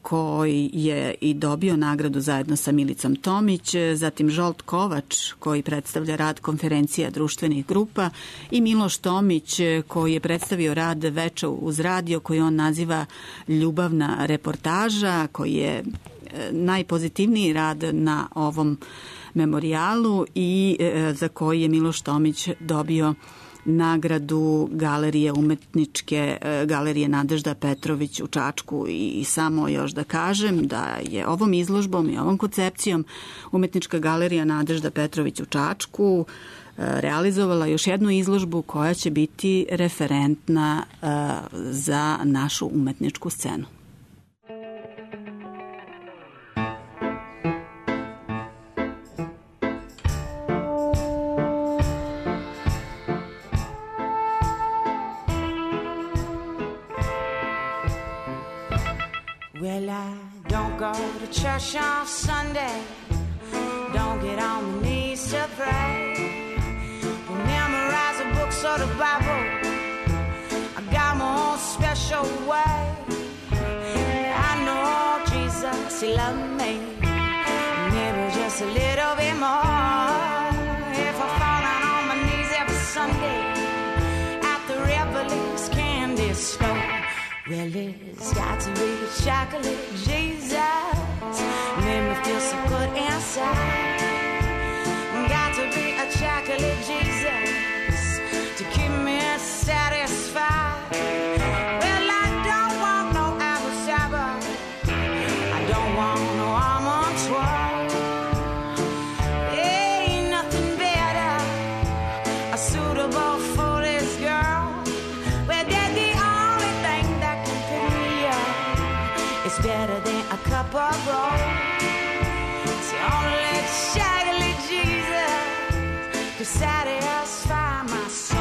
koji je i dobio nagradu zajedno sa Milicom Tomić, zatim Žolt Kovač, koji predstavlja rad konferencija društvenih grupa, i Miloš Tomić, koji je predstavio rad Veče uz radio, koji on naziva ljubavna reportaža, koji je najpozitivniji rad na ovom memorijalu i za koji je Miloš Tomić dobio nagradu galerije umetničke galerije Nadežda Petrović u Čačku. I samo još da kažem da je ovom izložbom i ovom koncepcijom umetnička galerija Nadežda Petrović u Čačku realizovala još jednu izložbu koja će biti referentna za našu umetničku scenu.
Well, I don't go to church on Sunday, don't get on my knees to pray, don't memorize the books or the Bible, I got my own special way. I know Jesus, He loved me, maybe just a little bit more. If I fall down on my knees every Sunday at the Revelings candy store, well, it's got to be chocolate Jesus, made me feel so good inside. Got to be a chocolate Jesus to keep me satisfied. Well, I don't want no apple cider, I don't want no almond twirl. Ain't nothing better suitable for this girl. Well, they're the only thing that can pick me up. It's better than a cup of gold. It's only chocolate Jesus to satisfy my soul.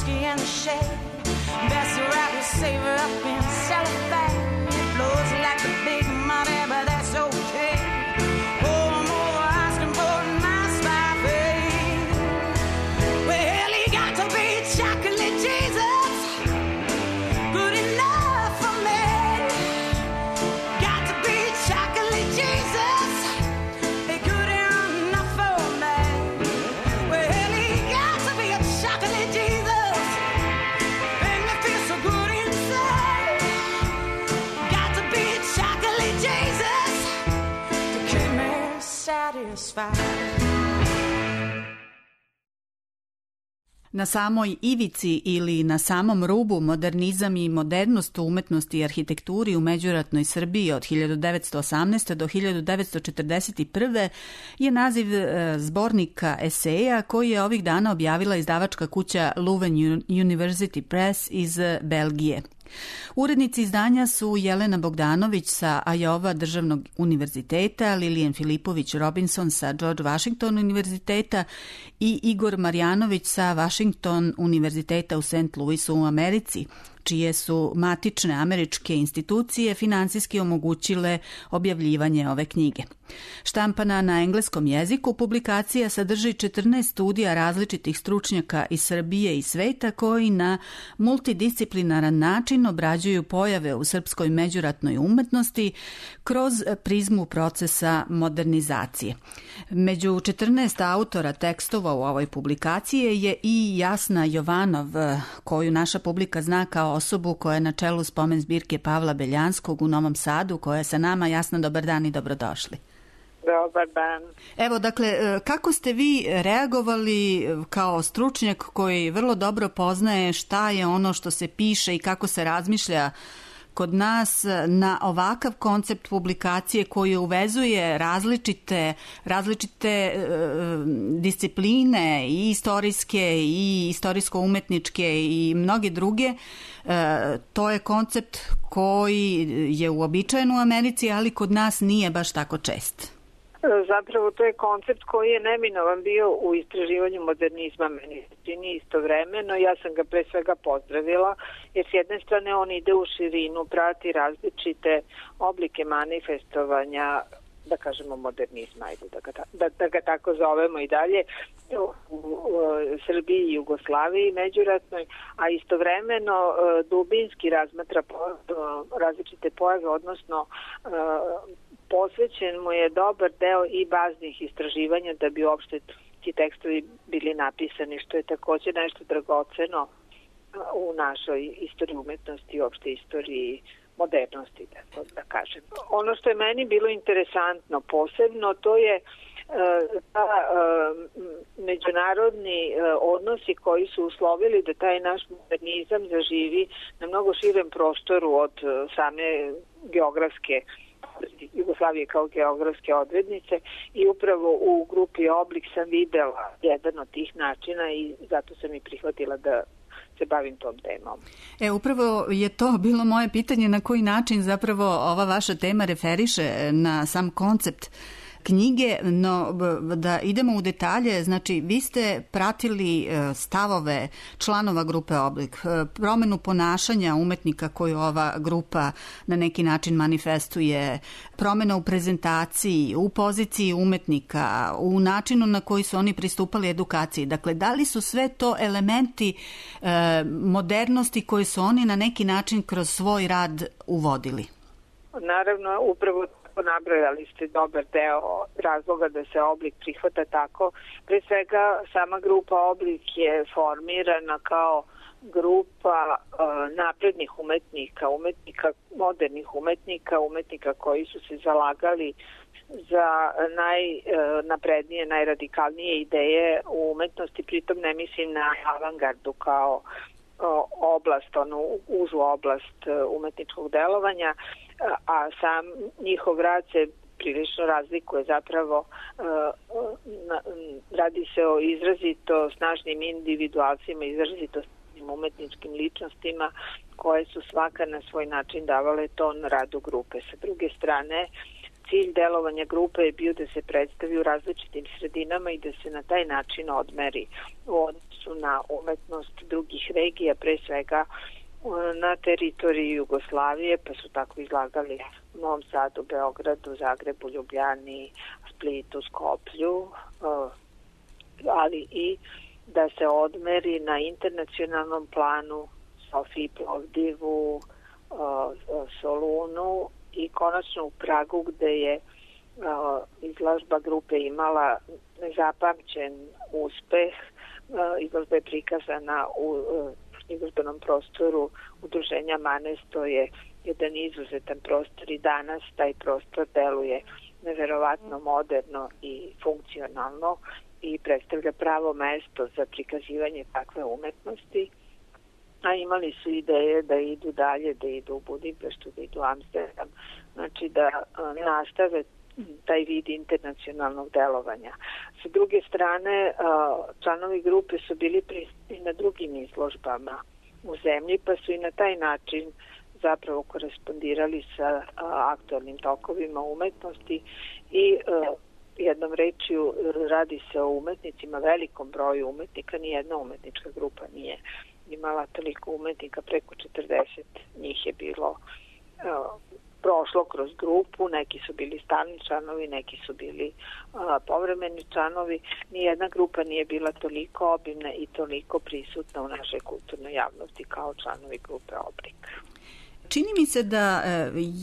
In the shade, best to wrap your savor up in cellophane. It blows like the big money, but that's okay. Oh, I'm over asking for a nice buffet. Well, he got to be chocolate Jesus, good enough for me. Got to be chocolate Jesus, good enough for me. Well, he got to be a chocolate Jesus. Satisfied.
Na samoj ivici ili na samom rubu modernizam i modernost u umetnosti i arhitekturi u međuratnoj Srbiji od 1918. do 1941. je naziv zbornika eseja koji je ovih dana objavila izdavačka kuća Leuven University Press iz Belgije. Urednici izdanja su Jelena Bogdanović sa Ajova državnog univerziteta, Lilian Filipović Robinson sa George Washington univerziteta i Igor Marjanović sa Washington univerziteta u St. Louisu u Americi, čije su matične američke institucije finansijski omogućile objavljivanje ove knjige. Štampana na engleskom jeziku, publikacija sadrži 14 studija različitih stručnjaka iz Srbije i sveta koji na multidisciplinaran način obrađuju pojave u srpskoj međuratnoj umetnosti kroz prizmu procesa modernizacije. Među 14 autora tekstova u ovoj publikaciji je i Jasna Jovanov, koju naša publika zna kao osobu koja je na čelu spomen zbirke Pavla Beljanskog u Novom Sadu, koja je sa nama. Jasna, dobar dan i dobrodošli.
Dobar dan.
Evo, dakle, kako ste vi reagovali kao stručnjak koji vrlo dobro poznaje šta je ono što se piše i kako se razmišlja kod nas na ovakav koncept publikacije koji uvezuje različite discipline i istorijske i istorijsko-umetničke i mnoge druge. To je koncept koji je uobičajen u Americi, ali kod nas nije baš tako čest.
Zapravo to je koncept koji je neminovan bio u istraživanju modernizma, meni se čini istovremeno. Ja sam ga pre svega pozdravila, jer s jedne strane on ide u širinu, prati različite oblike manifestovanja, da kažemo modernizma, da ga tako zovemo i dalje, u Srbiji i Jugoslaviji međuratnoj, a istovremeno dubinski razmatra različite pojave, odnosno posvećen mu je dobar deo i baznih istraživanja da bi uopšte ti tekstovi bili napisani, što je takođe nešto dragoceno u našoj istoriji umetnosti i uopšte istoriji modernosti, da kažem. Ono što je meni bilo interesantno posebno, to je međunarodni odnosi koji su uslovili da taj naš modernizam zaživi na mnogo širem prostoru od same geografske Jugoslavije kao geografske odrednice, i upravo u grupi Oblik sam videla jedan od tih načina i zato sam i prihvatila da se bavim tom temom.
Upravo je to bilo moje pitanje, na koji način zapravo ova vaša tema referiše na sam koncept knjige, no da idemo u detalje. Znači, vi ste pratili stavove članova grupe Oblik, promenu ponašanja umetnika koju ova grupa na neki način manifestuje, promena u prezentaciji, u poziciji umetnika, u načinu na koji su oni pristupali edukaciji. Dakle, da li su sve to elementi modernosti koje su oni na neki način kroz svoj rad uvodili?
Naravno, upravo nabrojali ste dobar deo razloga da se Oblik prihvata tako. Pre svega, sama grupa Oblik je formirana kao grupa naprednih umetnika, modernih umetnika koji su se zalagali za najnaprednije, najradikalnije ideje u umetnosti. Pritom ne mislim na avangardu kao oblast, užu oblast umetničkog delovanja, a sam njihov rad se prilično razlikuje. Zapravo radi se o izrazito snažnim individualcima, izrazito snažnim umetničkim ličnostima koje su svaka na svoj način davale ton radu grupe. Sa druge strane, cilj delovanja grupe je bio da se predstavi u različitim sredinama i da se na taj način odmeri u odnosu na umetnost drugih regija, pre svega na teritoriji Jugoslavije, pa su tako izlagali u Novom Sadu, Beogradu, Zagrebu, Ljubljani, Splitu, Skoplju, ali i da se odmeri na internacionalnom planu Sofiji, Plovdivu, Solunu i konačno u Pragu, gde je izložba grupe imala nezapamćen uspeh. Izložba je prikazana u izložbenom prostoru udruženja Manes, to je jedan izuzetan prostor i danas taj prostor deluje
neverovatno moderno i funkcionalno i predstavlja pravo mesto za prikazivanje takve umetnosti, a imali su ideje da idu dalje, da idu u Budimpeštu, da idu u Amsterdam, znači da nastave taj vid internacionalnog delovanja. Sa druge strane, članovi grupe su bili prisutni na drugim izložbama u zemlji, pa su i na taj način zapravo korespondirali sa aktualnim tokovima umetnosti i jednom rečju radi se o umetnicima, velikom broju umetnika, nijedna umetnička grupa nije imala toliko umetnika, preko 40 njih je bilo prošlo kroz grupu, neki su bili stalni članovi, neki su bili povremeni članovi. Nijedna grupa nije bila toliko obimna i toliko prisutna u našoj kulturnoj javnosti kao članovi grupe Oblik.
Čini mi se da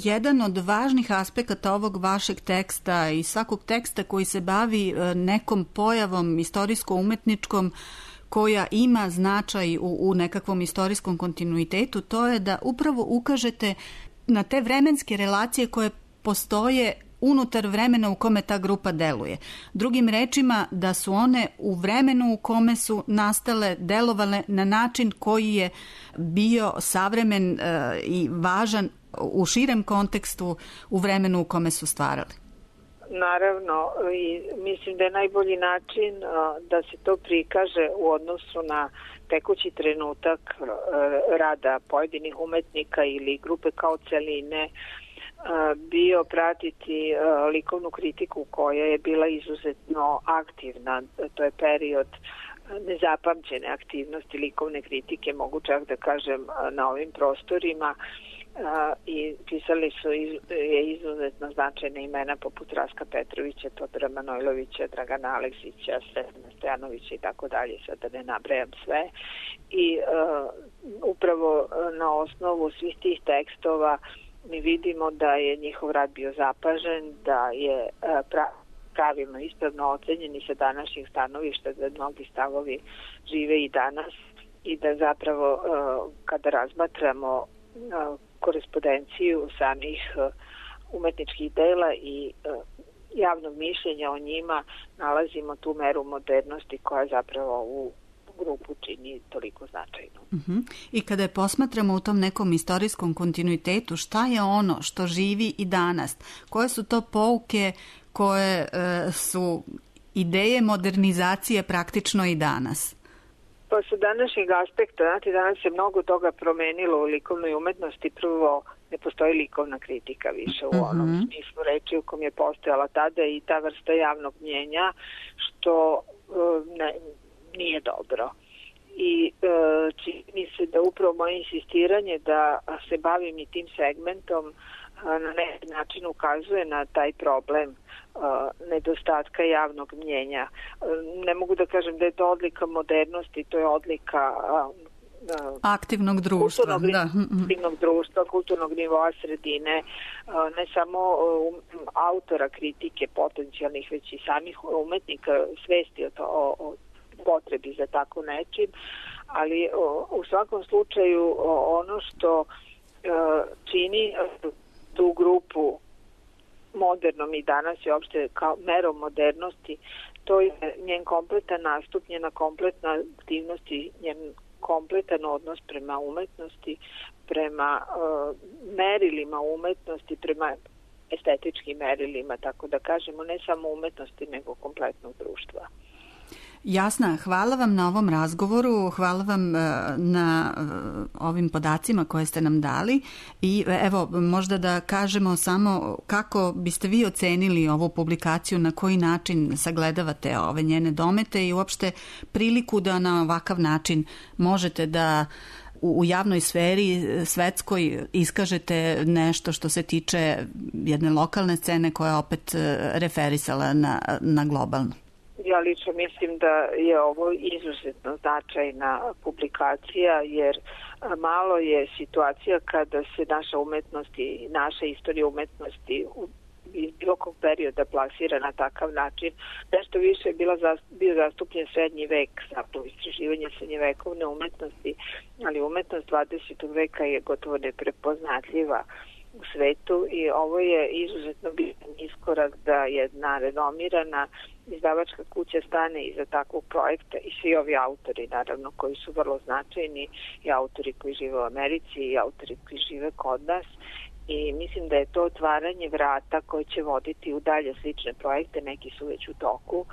jedan od važnih aspekata ovog vašeg teksta i svakog teksta koji se bavi nekom pojavom istorijsko-umetničkom koja ima značaj u nekakvom istorijskom kontinuitetu, to je da upravo ukažete na te vremenske relacije koje postoje unutar vremena u kome ta grupa deluje. Drugim rečima, da su one u vremenu u kome su nastale, delovale na način koji je bio savremen i važan u širem kontekstu u vremenu u kome su stvarali.
Naravno, i mislim da je najbolji način da se to prikaže u odnosu na tekući trenutak rada pojedinih umetnika ili grupe kao celine, bio pratiti likovnu kritiku koja je bila izuzetno aktivna. To je period nezapamćene aktivnosti likovne kritike, mogu čak da kažem, na ovim prostorima, i pisali su izuzetno značajne imena poput Raska Petrovića, Todora Manojlovića, Dragana Aleksića, Stefana Stojanovića i tako dalje, sad da ne nabrajam sve. I upravo na osnovu svih tih tekstova mi vidimo da je njihov rad bio zapažen, da je pravilno, ispravno ocenjen i sa današnjih stanovišta, da mnogi stavovi žive i danas i da zapravo kada razmatramo korespondenciju samih umetničkih dela i javnog mišljenja o njima, nalazimo tu meru modernosti koja zapravo u grupu čini toliko značajno.
I kada je posmatramo u tom nekom istorijskom kontinuitetu, šta je ono što živi i danas? Koje su to pouke koje su ideje modernizacije praktično i danas?
Pa sa današnjeg aspekta, znate, danas se mnogo toga promenilo u likovnoj umetnosti. Prvo, ne postoji likovna kritika više u onom smislu reči u kom je postojala tada i ta vrsta javnog mnjenja, što nije dobro. I čini se da upravo moje insistiranje da se bavim i tim segmentom na neki način ukazuje na taj problem nedostatka javnog mnjenja. Ne mogu da kažem da je to odlika modernosti, to je odlika
aktivnog društva,
aktivnog društva, kulturnog nivoa sredine, ne samo autora kritike potencijalnih, već i samih umetnika svesti o potrebi za tako nečim, ali u svakom slučaju ono što čini tu grupu modernom i danas je opšte kao merom modernosti, to je njen kompletan nastup, njena kompletna aktivnost i njen kompletan odnos prema umetnosti, prema merilima umetnosti, prema estetičkim merilima, tako da kažemo, ne samo umetnosti, nego kompletnog društva.
Jasna, hvala vam na ovom razgovoru, hvala vam na ovim podacima koje ste nam dali i evo možda da kažemo samo kako biste vi ocenili ovu publikaciju, na koji način sagledavate ove njene domete i uopšte priliku da na ovakav način možete da u javnoj sferi svetskoj iskažete nešto što se tiče jedne lokalne scene koja je opet referisala na globalnu.
Ja lično mislim da je ovo izuzetno značajna publikacija, jer malo je situacija kada se naša umetnost i naša istorija umetnosti iz bilo kog perioda plasira na takav način. Nešto više je bio zastupljen srednji vek, zapravo istraživanje srednjevekovne umetnosti, ali umetnost 20. veka je gotovo neprepoznatljiva u svetu i ovo je izuzetno bitan iskorak da jedna renomirana izdavačka kuća stane iza takvog projekta i svi ovi autori, naravno, koji su vrlo značajni, i autori koji žive u Americi i autori koji žive kod nas. I mislim da je to otvaranje vrata koje će voditi u dalje slične projekte, neki su već u toku,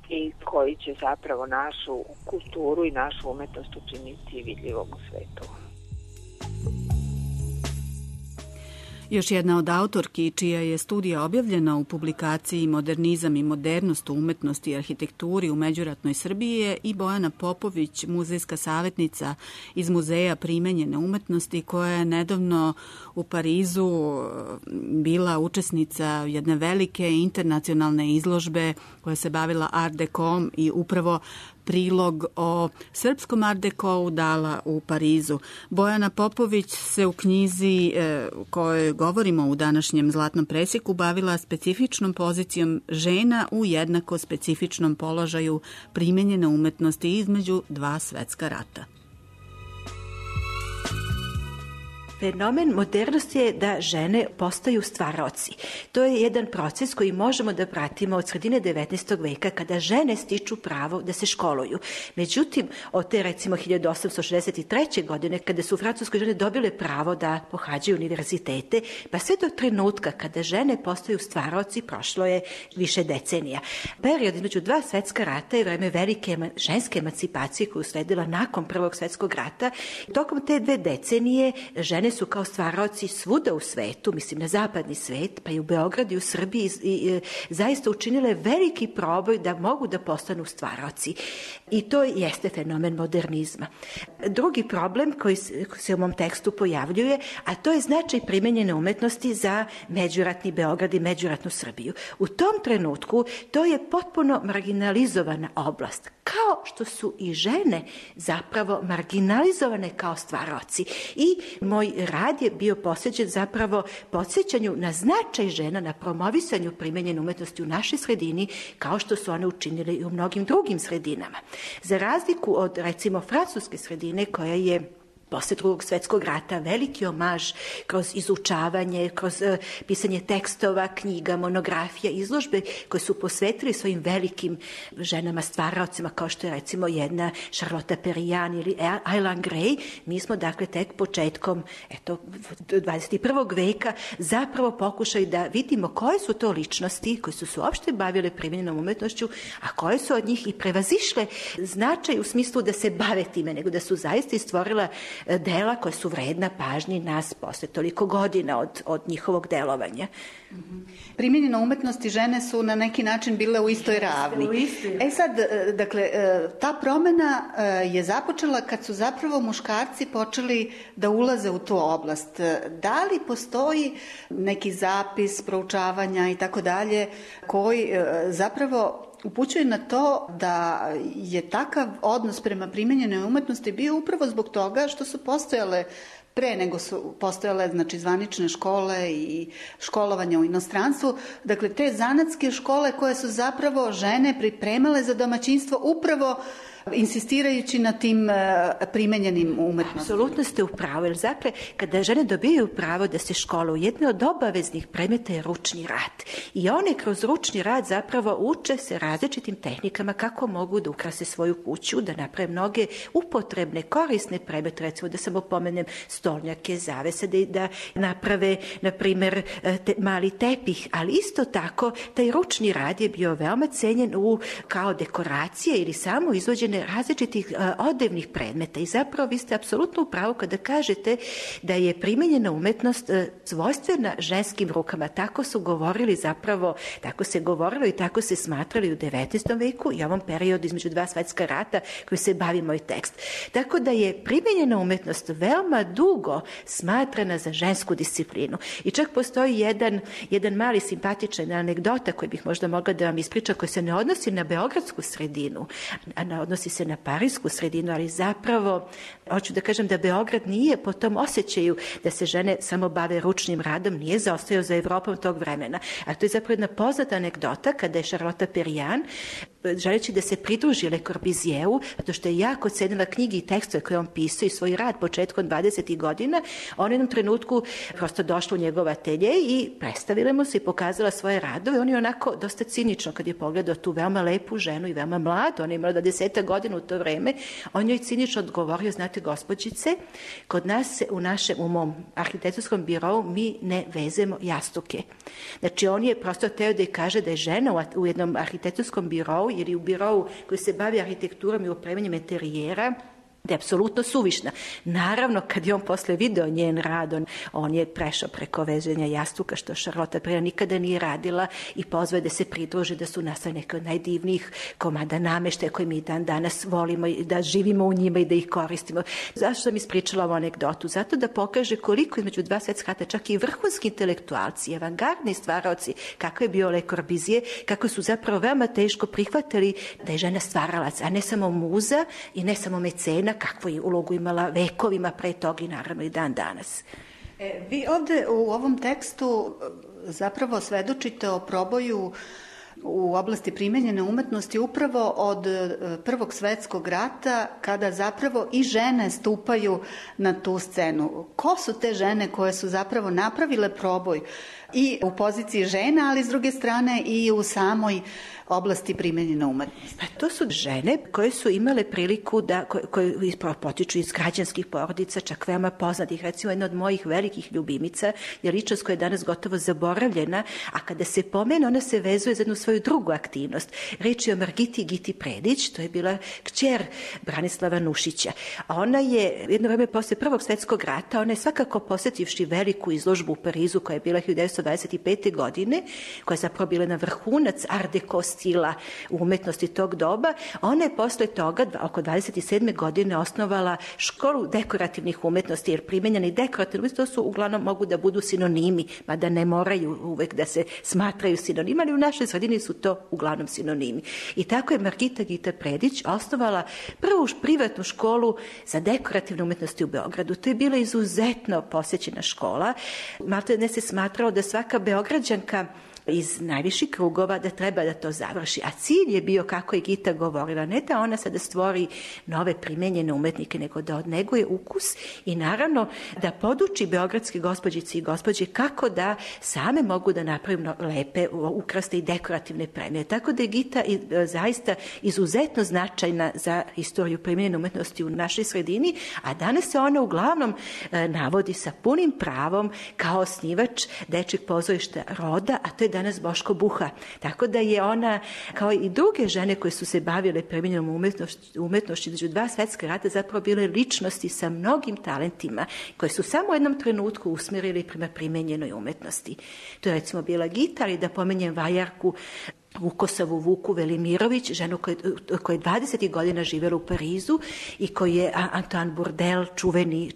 i koji će zapravo našu kulturu i našu umetnost učiniti vidljivom u svetu.
Još jedna od autorki čija je studija objavljena u publikaciji Modernizam i modernost u umetnosti i arhitekturi u međuratnoj Srbiji je i Bojana Popović, muzejska savjetnica iz Muzeja primenjene umetnosti, koja je nedavno u Parizu bila učesnica jedne velike internacionalne izložbe koja se bavila Art Deco i upravo prilog o srpskom Art Decu dala u Parizu. Bojana Popović se u knjizi kojoj govorimo u današnjem Zlatnom presjeku bavila specifičnom pozicijom žena u jednako specifičnom položaju primenjene umetnosti između dva svetska rata.
Fenomen modernosti je da žene postaju stvaraoci. To je jedan proces koji možemo da pratimo od sredine 19. veka kada žene stiču pravo da se školuju. Međutim, od te recimo 1863. godine kada su francuske žene dobile pravo da pohađaju univerzitete, pa sve do trenutka kada žene postaju stvaraoci prošlo je više decenija. Period između dva svetska rata je vreme velike ženske emancipacije koju sledila nakon Prvog svetskog rata. Tokom te 2 decenije žene su kao stvaraoci svuda u svetu, mislim na zapadni svet, pa i u Beogradu i u Srbiji zaista učinile veliki proboj da mogu da postanu stvaraoci. I to jeste fenomen modernizma. Drugi problem koji se u mom tekstu pojavljuje, a to je značaj primenjene umetnosti za međuratni Beograd i međuratnu Srbiju. U tom trenutku to je potpuno marginalizovana oblast, kao što su i žene zapravo marginalizovane kao stvaraoci. I moj rad je bio posvećen zapravo podsjećanju na značaj žena, na promovisanju primenjene umetnosti u našoj sredini, kao što su one učinile i u mnogim drugim sredinama. Za razliku od, recimo, francuske sredine koja je posle Drugog svetskog rata veliki omaž kroz izučavanje, kroz pisanje tekstova, knjiga, monografija, izložbe koje su posvetili svojim velikim ženama stvaraocima, kao što je recimo jedna Charlotte Perriand ili Aileen Gray. Mi smo dakle tek početkom 21. veka zapravo pokušali da vidimo koje su to ličnosti koje su se uopšte bavile primenjenom umetnošću, a koje su od njih i prevazišle značaj u smislu da se bave time, nego da su zaista i stvorila dela koja su vredna pažnji nas posle toliko godina od njihovog delovanja.
Primenjena umetnost i žene su na neki način bile u istoj ravni. Sad, dakle, ta promena je započela kad su zapravo muškarci počeli da ulaze u tu oblast. Da li postoji neki zapis, proučavanja i tako dalje koji zapravo upućuje na to da je takav odnos prema primenjenoj umetnosti bio upravo zbog toga što su postojale pre nego su postojale zvanične škole i školovanja u inostranstvu. Dakle, te zanatske škole koje su zapravo žene pripremale za domaćinstvo upravo insistirajući na tim primenjenim umetnostima.
Apsolutno ste u pravu, jer dakle, kada žene dobijaju pravo da se školuju, jedno od obaveznih predmeta je ručni rad. I one kroz ručni rad zapravo uče se različitim tehnikama kako mogu da ukrase svoju kuću, da naprave mnoge upotrebne, korisne predmete, recimo da samo pomenem stolnjake, zavese, da naprave, na primer, mali tepih, ali isto tako taj ručni rad je bio veoma cenjen kao dekoracije ili samo izvođene različitih odevnih predmeta i zapravo vi ste apsolutno u pravu kada kažete da je primenjena umetnost svojstvena ženskim rukama. Tako su govorili zapravo, tako se govorilo i tako se smatrali u 19. veku i ovom periodu između dva svetska rata koji se bavi moj tekst. Tako da je primenjena umetnost veoma dugo smatrana za žensku disciplinu. I čak postoji jedan mali simpatičan anegdota koji bih možda mogla da vam ispričam, koji se ne odnosi na beogradsku sredinu, a odnosi se na parijsku sredinu, ali zapravo hoću da kažem da Beograd nije po tom osjećaju da se žene samo bave ručnim radom, nije zaostajao za Evropom tog vremena. A to je zapravo jedna poznata anegdota kada je Charlotte Perriand želeći da se pridruži Le Corbusieru, zato što je jako cenila knjige i tekstove koje on pisao i svoj rad početkom 20. godina, on u jednom trenutku prosto došla u njegov atelje i predstavila mu se i pokazala svoje radove. On je onako dosta cinično kad je pogledao tu veoma lepu ženu i veoma mladu, ona je imala 20 godina u to vreme, on joj cinično odgovorio, znate gospođice, kod nas u mom arhitektonskom birou mi ne vezemo jastuke. Znači on je prosto teo da je kaže da je žena u jednom arhitektonskom birou ili u birou koji se bavi arhitekturom i opremanjem interijera, da je apsolutno suvišna. Naravno, kad je on posle video njen rad, on je prešao preko veženja jastuka, što Charlotte Perrin nikada nije radila i pozvao da se pridruži, da su nastali neke od najdivnijih komada nameštaja koje mi dan danas volimo i da živimo u njima i da ih koristimo. Zašto sam ispričala ovu anegdotu? Zato da pokaže koliko između dva svetska rata čak i vrhunski intelektualci, avangardni stvaraoci, kako je bio Le Corbusier, kako su zapravo veoma teško prihvatili da je žena stvaralac, a ne samo muza i ne samo mecena, kakvu je ulogu imala vekovima pre toga i naravno i dan danas.
Vi ovde u ovom tekstu zapravo svedočite o proboju u oblasti primenjene umetnosti upravo od Prvog svetskog rata, kada zapravo i žene stupaju na tu scenu. Ko su te žene koje su zapravo napravile proboj i u poziciji žena, ali s druge strane i u samoj oblasti primenjene umetnosti?
To su žene koje su imale priliku koje potiču iz građanskih porodica, čak veoma poznatih. Recimo, jedna od mojih velikih ljubimica je ličnost koja je danas gotovo zaboravljena, a kada se pomene, ona se vezuje za jednu svoju drugu aktivnost. Reč je o Margiti Giti Predić, to je bila kćer Branislava Nušića. A ona je jedno vreme posle Prvog svetskog rata, ona je svakako posetivši veliku izložbu u Parizu koja je bila 1925. godine, koja je zapravo bila na vrhunac Art Deco stila u umetnosti tog doba. Ona je posle toga, oko 27. godine, osnovala školu dekorativnih umetnosti, jer primenjeni dekorativni umetnosti to su uglavnom mogu da budu sinonimi, mada ne moraju uvek da se smatraju sinonima, ali u našoj sredini su to uglavnom sinonimi. I tako je Margita Gita Predić osnovala prvu privatnu školu za dekorativne umetnosti u Beogradu. To je bila izuzetno posećena škola. Maltene ne se smatrao da svaka Beograđanka iz najviših krugova da treba da to završi. A cilj je bio, kako je Gita govorila, ne da ona sada stvori nove primenjene umetnike, nego da odneguje ukus i naravno da poduči beogradske gospođice i gospođe kako da same mogu da napravimo lepe, ukrasne i dekorativne predmete. Tako da je Gita zaista izuzetno značajna za istoriju primenjene umetnosti u našoj sredini, a danas se ona uglavnom navodi sa punim pravom kao osnivač Dečijeg pozorišta Roda, a to je danas Boško Buha. Tako da je ona, kao i druge žene koje su se bavile primenjenom umetnošću između dva svetska rata, zapravo bile ličnosti sa mnogim talentima koje su samo u jednom trenutku usmerili prema primenjenoj umetnosti. To je recimo bila Gita, ali da pomenjem vajarku Vukosavu Vuku Velimirović, ženu koja je 20. godina živjela u Parizu i koji je Antoine Bourdelle,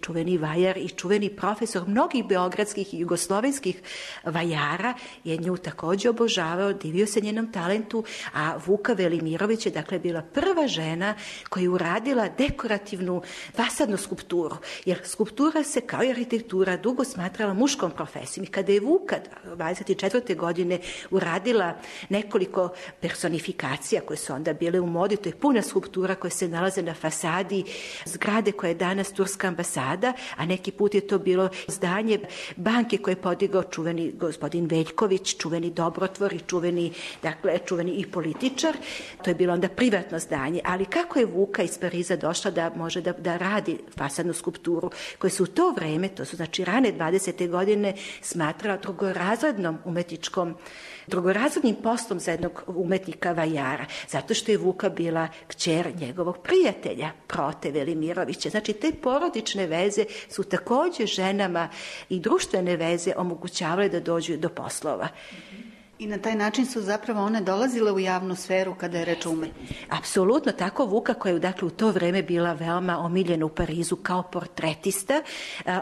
čuveni vajar i čuveni profesor mnogih beogradskih i jugoslovenskih vajara, je nju također obožavao, divio se njenom talentu, a Vuka Velimirović je dakle bila prva žena koja je uradila dekorativnu fasadnu skulpturu, jer skulptura se kao i arhitektura dugo smatrala muškom profesijom i kada je Vuka 24. godine uradila nekoliko personifikacija koje su onda bile u modi, to je puna skulptura koja se nalaze na fasadi zgrade koja je danas Turska ambasada, a neki put je to bilo zdanje banke koje je podigao čuveni gospodin Veljković, čuveni dobrotvor i čuveni i političar. To je bilo onda privatno zdanje, ali kako je Vuka iz Pariza došla da može da radi fasadnu skulpturu koje su u to vreme, to su znači rane 20. godine, smatrala drugorazrednim poslom za jednog umetnika vajara, zato što je Vuka bila kćer njegovog prijatelja, Prote Velimirovića. Znači, te porodične veze su također ženama i društvene veze omogućavale da dođu do poslova.
I na taj način su zapravo one dolazile u javnu sferu kada je reč o umetnosti.
Apsolutno, tako Vuka koja je dakle u to vreme bila veoma omiljena u Parizu kao portretista,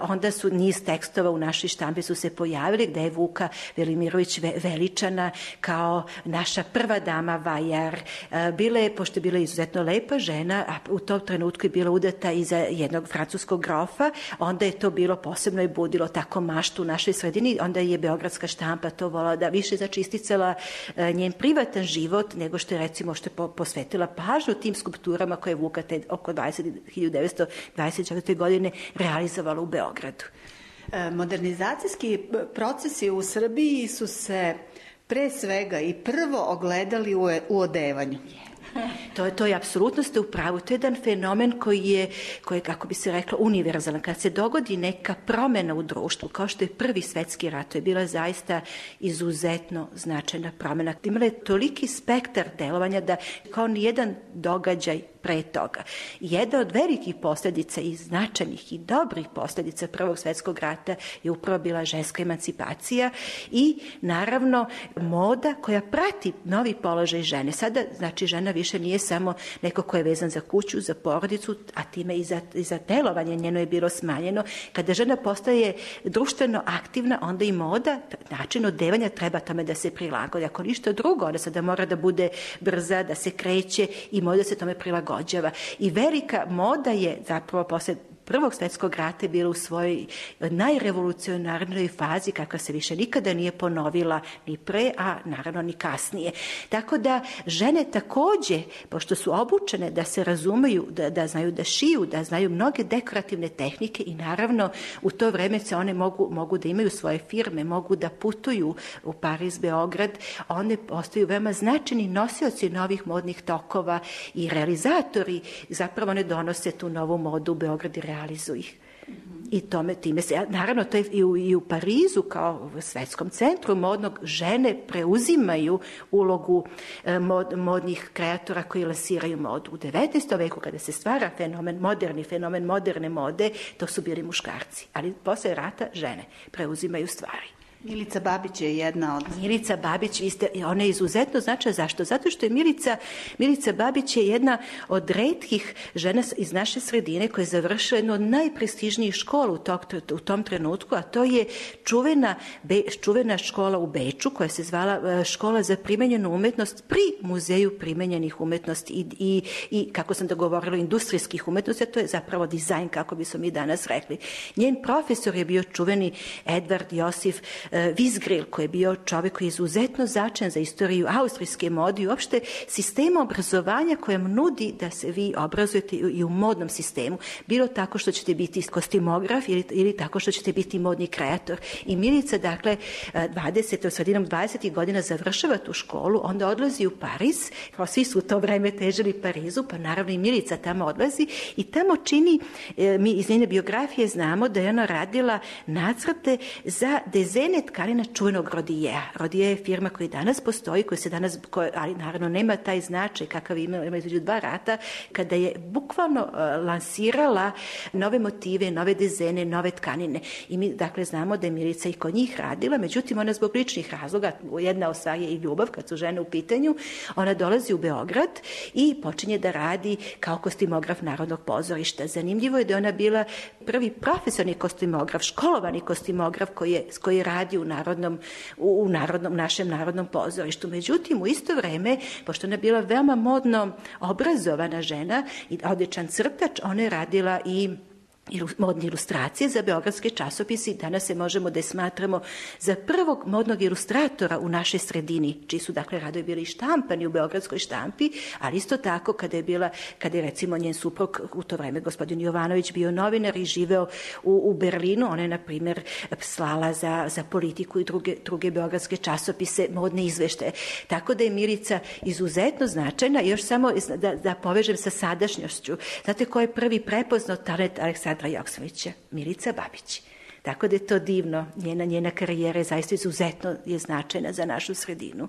onda su niz tekstova u našoj štampi su se pojavili gde je Vuka Velimirović veličana kao naša prva dama vajar. Pošto je bila izuzetno lepa žena, a u tom trenutku je bila udata i za jednog francuskog grofa, onda je to bilo posebno i budilo tako maštu u našoj sredini, onda je beogradska štampa to volala da više, znači isticala njen privatan život, nego što je recimo što je posvetila pažnju tim skulpturama koje je Vuka oko 1924. godine realizovala u Beogradu.
Modernizacijski procesi u Srbiji su se pre svega i prvo ogledali u odevanju.
To je apsolutno ste u pravu. To je jedan fenomen koji je, kako bi se reklo, univerzalan. Kad se dogodi neka promena u društvu, kao što je Prvi svetski rat, to je bila zaista izuzetno značajna promena. Imala je toliki spektar delovanja da kao nijedan događaj pre toga. Jedna od velikih posljedica i značajnih i dobrih posljedica Prvog svetskog rata je upravo bila ženska emancipacija i naravno moda koja prati novi položaj žene. Sada, znači, žena više nije samo neko ko je vezan za kuću, za porodicu, a time i za delovanje njeno je bilo smanjeno. Kada žena postaje društveno aktivna, onda i moda, način odevanja treba tome da se prilagodi. Ako ništa drugo, ona sada mora da bude brza, da se kreće i moda se tome prilagođava. I velika moda je zapravo posle Prvog svetskog rata bila u svojoj najrevolucionarnoj fazi kakva se više nikada nije ponovila ni pre, a naravno ni kasnije. Tako da žene takođe, pošto su obučene da se razumeju, da znaju da šiju, da znaju mnoge dekorativne tehnike i naravno u to vreme se one mogu da imaju svoje firme, mogu da putuju u Pariz, Beograd, one postaju veoma značajni nosioci novih modnih tokova i realizatori, zapravo one donose tu novu modu u Beograd i realizuju ih. I time se, naravno to je i u Parizu kao u svetskom centru modnog, žene preuzimaju ulogu modnih kreatora koji lansiraju modu. U 19. veku kada se stvara fenomen moderne mode, to su bili muškarci, ali posle rata žene preuzimaju stvari.
Milica Babić je jedna od...
Milica Babić, ona je izuzetno značajna. Zašto? Zato što je Milica Babić je jedna od retkih žena iz naše sredine koja je završila jednu od najprestižnijih škola u tom trenutku, a to je čuvena škola u Beču koja se zvala Škola za primenjenu umetnost pri Muzeju primenjenih umetnosti i kako sam da govorila, industrijskih umetnosti, a to je zapravo dizajn, kako bismo mi danas rekli. Njen profesor je bio čuveni Edvard Josif Visgril, koji je bio čovjek koji je izuzetno značajan za istoriju austrijske mode i uopšte sistema obrazovanja kojem nudi da se vi obrazujete i u modnom sistemu. Bilo tako što ćete biti kostimograf ili tako što ćete biti modni kreator. I Milica, dakle, sredinom 20. godina završava tu školu, onda odlazi u Pariz, kao svi su u to vreme težili Parizu, pa naravno i Milica tamo odlazi i tamo čini, mi iz njene biografije znamo da je ona radila nacrte za dezene tkanina čuvenog Rodijea. Rodije je firma koja danas postoji, ali naravno nema taj značaj kakav ima između dva rata, kada je bukvalno lansirala nove motive, nove dezene, nove tkanine. I mi dakle znamo da je Milica i kod njih radila, međutim ona zbog ličnih razloga, jedna od stvari je i ljubav kad su žene u pitanju, ona dolazi u Beograd i počinje da radi kao kostimograf Narodnog pozorišta. Zanimljivo je da ona bila prvi profesionalni kostimograf, školovani kostimograf koji je radi u našem Narodnom pozorištu. Međutim, u isto vreme, pošto ona je bila veoma modno obrazovana žena i odličan crtač, ona je radila i modne ilustracije za beogradske časopise i danas se možemo da je smatramo za prvog modnog ilustratora u našoj sredini, čiji su dakle radovi bili štampani u beogradskoj štampi, ali isto tako kada je recimo njen suprug u to vreme gospodin Jovanović bio novinar i živeo u Berlinu, ona je na primjer slala za Politiku i druge beogradske časopise modne izveštaje. Tako da je Milica izuzetno značajna. Još samo da povežem sa sadašnjošću. Znate ko je prvi prepoznao talent Aleksandra Joksimovića? Milica Babić. Tako da je to divno. Njena karijera je zaista izuzetno značajna za našu sredinu.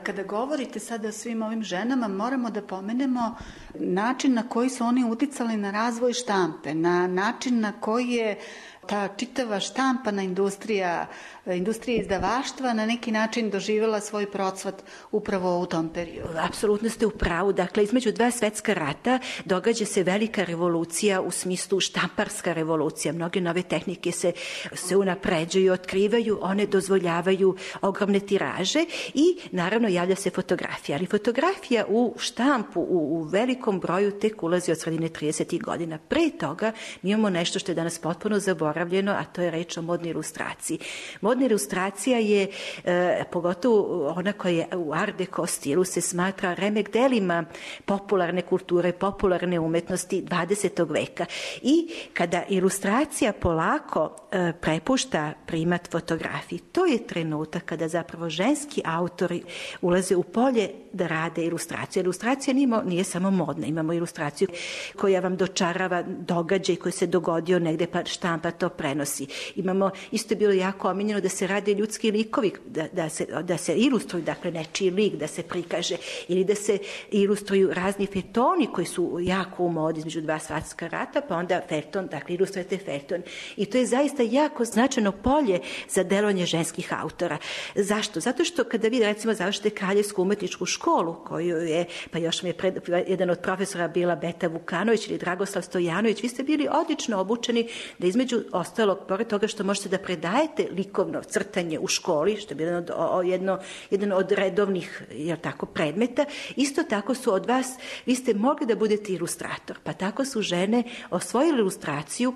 Kada govorite sada o svim ovim ženama, moramo da pomenemo način na koji su oni uticali na razvoj štampe, na način na koji je ta čitava štampana industrija izdavaštva na neki način doživjela svoj procvat upravo u tom periodu.
Apsolutno ste u pravu. Dakle, između dva svetska rata događa se velika revolucija u smislu štamparska revolucija. Mnoge nove tehnike se unapređuju, otkrivaju, one dozvoljavaju ogromne tiraže i naravno javlja se fotografija. Ali fotografija u štampu u velikom broju tek ulazi od sredine 30. godina. Pre toga mi imamo nešto što je danas potpuno zaboravljeno, zaboravljeno, a to je reč o modnoj ilustraciji. Modna ilustracija je, pogotovo ona koja je u Art Deco stilu, se smatra remek delima popularne kulture, popularne umetnosti 20. veka. I kada ilustracija polako prepušta primat fotografiji, to je trenutak kada zapravo ženski autori ulaze u polje da rade ilustraciju. Ilustracija nije samo modna, imamo ilustraciju koja vam dočarava događaj koji se dogodio negde, pa štampa to prenosi. Imamo, isto je bilo jako omiljeno da se rade ljudski likovi, da se ilustruju, dakle nečiji lik da se prikaže, ili da se ilustruju razni feljtoni koji su jako u modi između dva svetska rata, pa onda feljton, dakle ilustrujete feljton. I to je zaista jako značajno polje za delovanje ženskih autora. Zašto? Zato što kada vi recimo završite Kraljevsku umetničku školu, koju je, pa još mi je jedan od profesora bila Beta Vukanović ili Dragoslav Stojanović, vi ste bili odlično obučeni da između ostalog, pored toga što možete da predajete likovno crtanje u školi, što je bilo jedan od redovnih predmeta, isto tako su od vas, vi ste mogli da budete ilustrator, pa tako su žene osvojile ilustraciju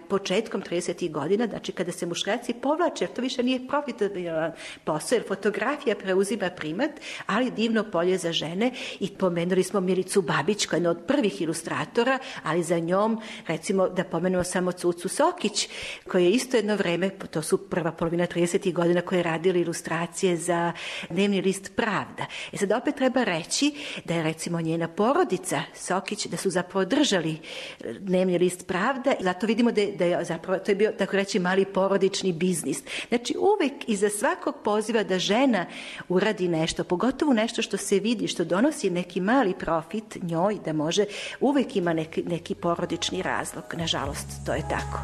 početkom 30. godina, znači kada se muškarci povlače, jer to više nije profitabilan posao, jer fotografija preuzima primat, ali divno polje za žene. I pomenuli smo Milicu Babić, koja je jedna od prvih ilustratora, ali za njom, recimo, da pomenemo samo Cucu Sokić, koja je isto jedno vreme, to su prva polovina 30. godina, koje je radila ilustracije za dnevni list Pravda. Sad opet treba reći da je recimo njena porodica Sokić, da su zapravo držali dnevni list Pravda, zato vidimo da je zapravo, to je bio, tako reći, mali porodični biznis. Znači uvek iza svakog poziva da žena uradi nešto, pogotovo nešto što se vidi, što donosi neki mali profit njoj, da može, uvek ima neki porodični razlog. Nažalost, to je tako.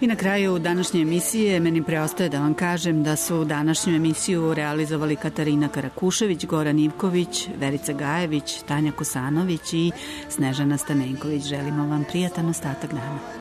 I na kraju današnje emisije meni preostaje da vam kažem da su današnju emisiju realizovali Katarina Karakušević, Goran Ivković, Verica Gajević, Tanja Kosanović i Snežana Stamenković. Želimo vam prijatan ostatak dana.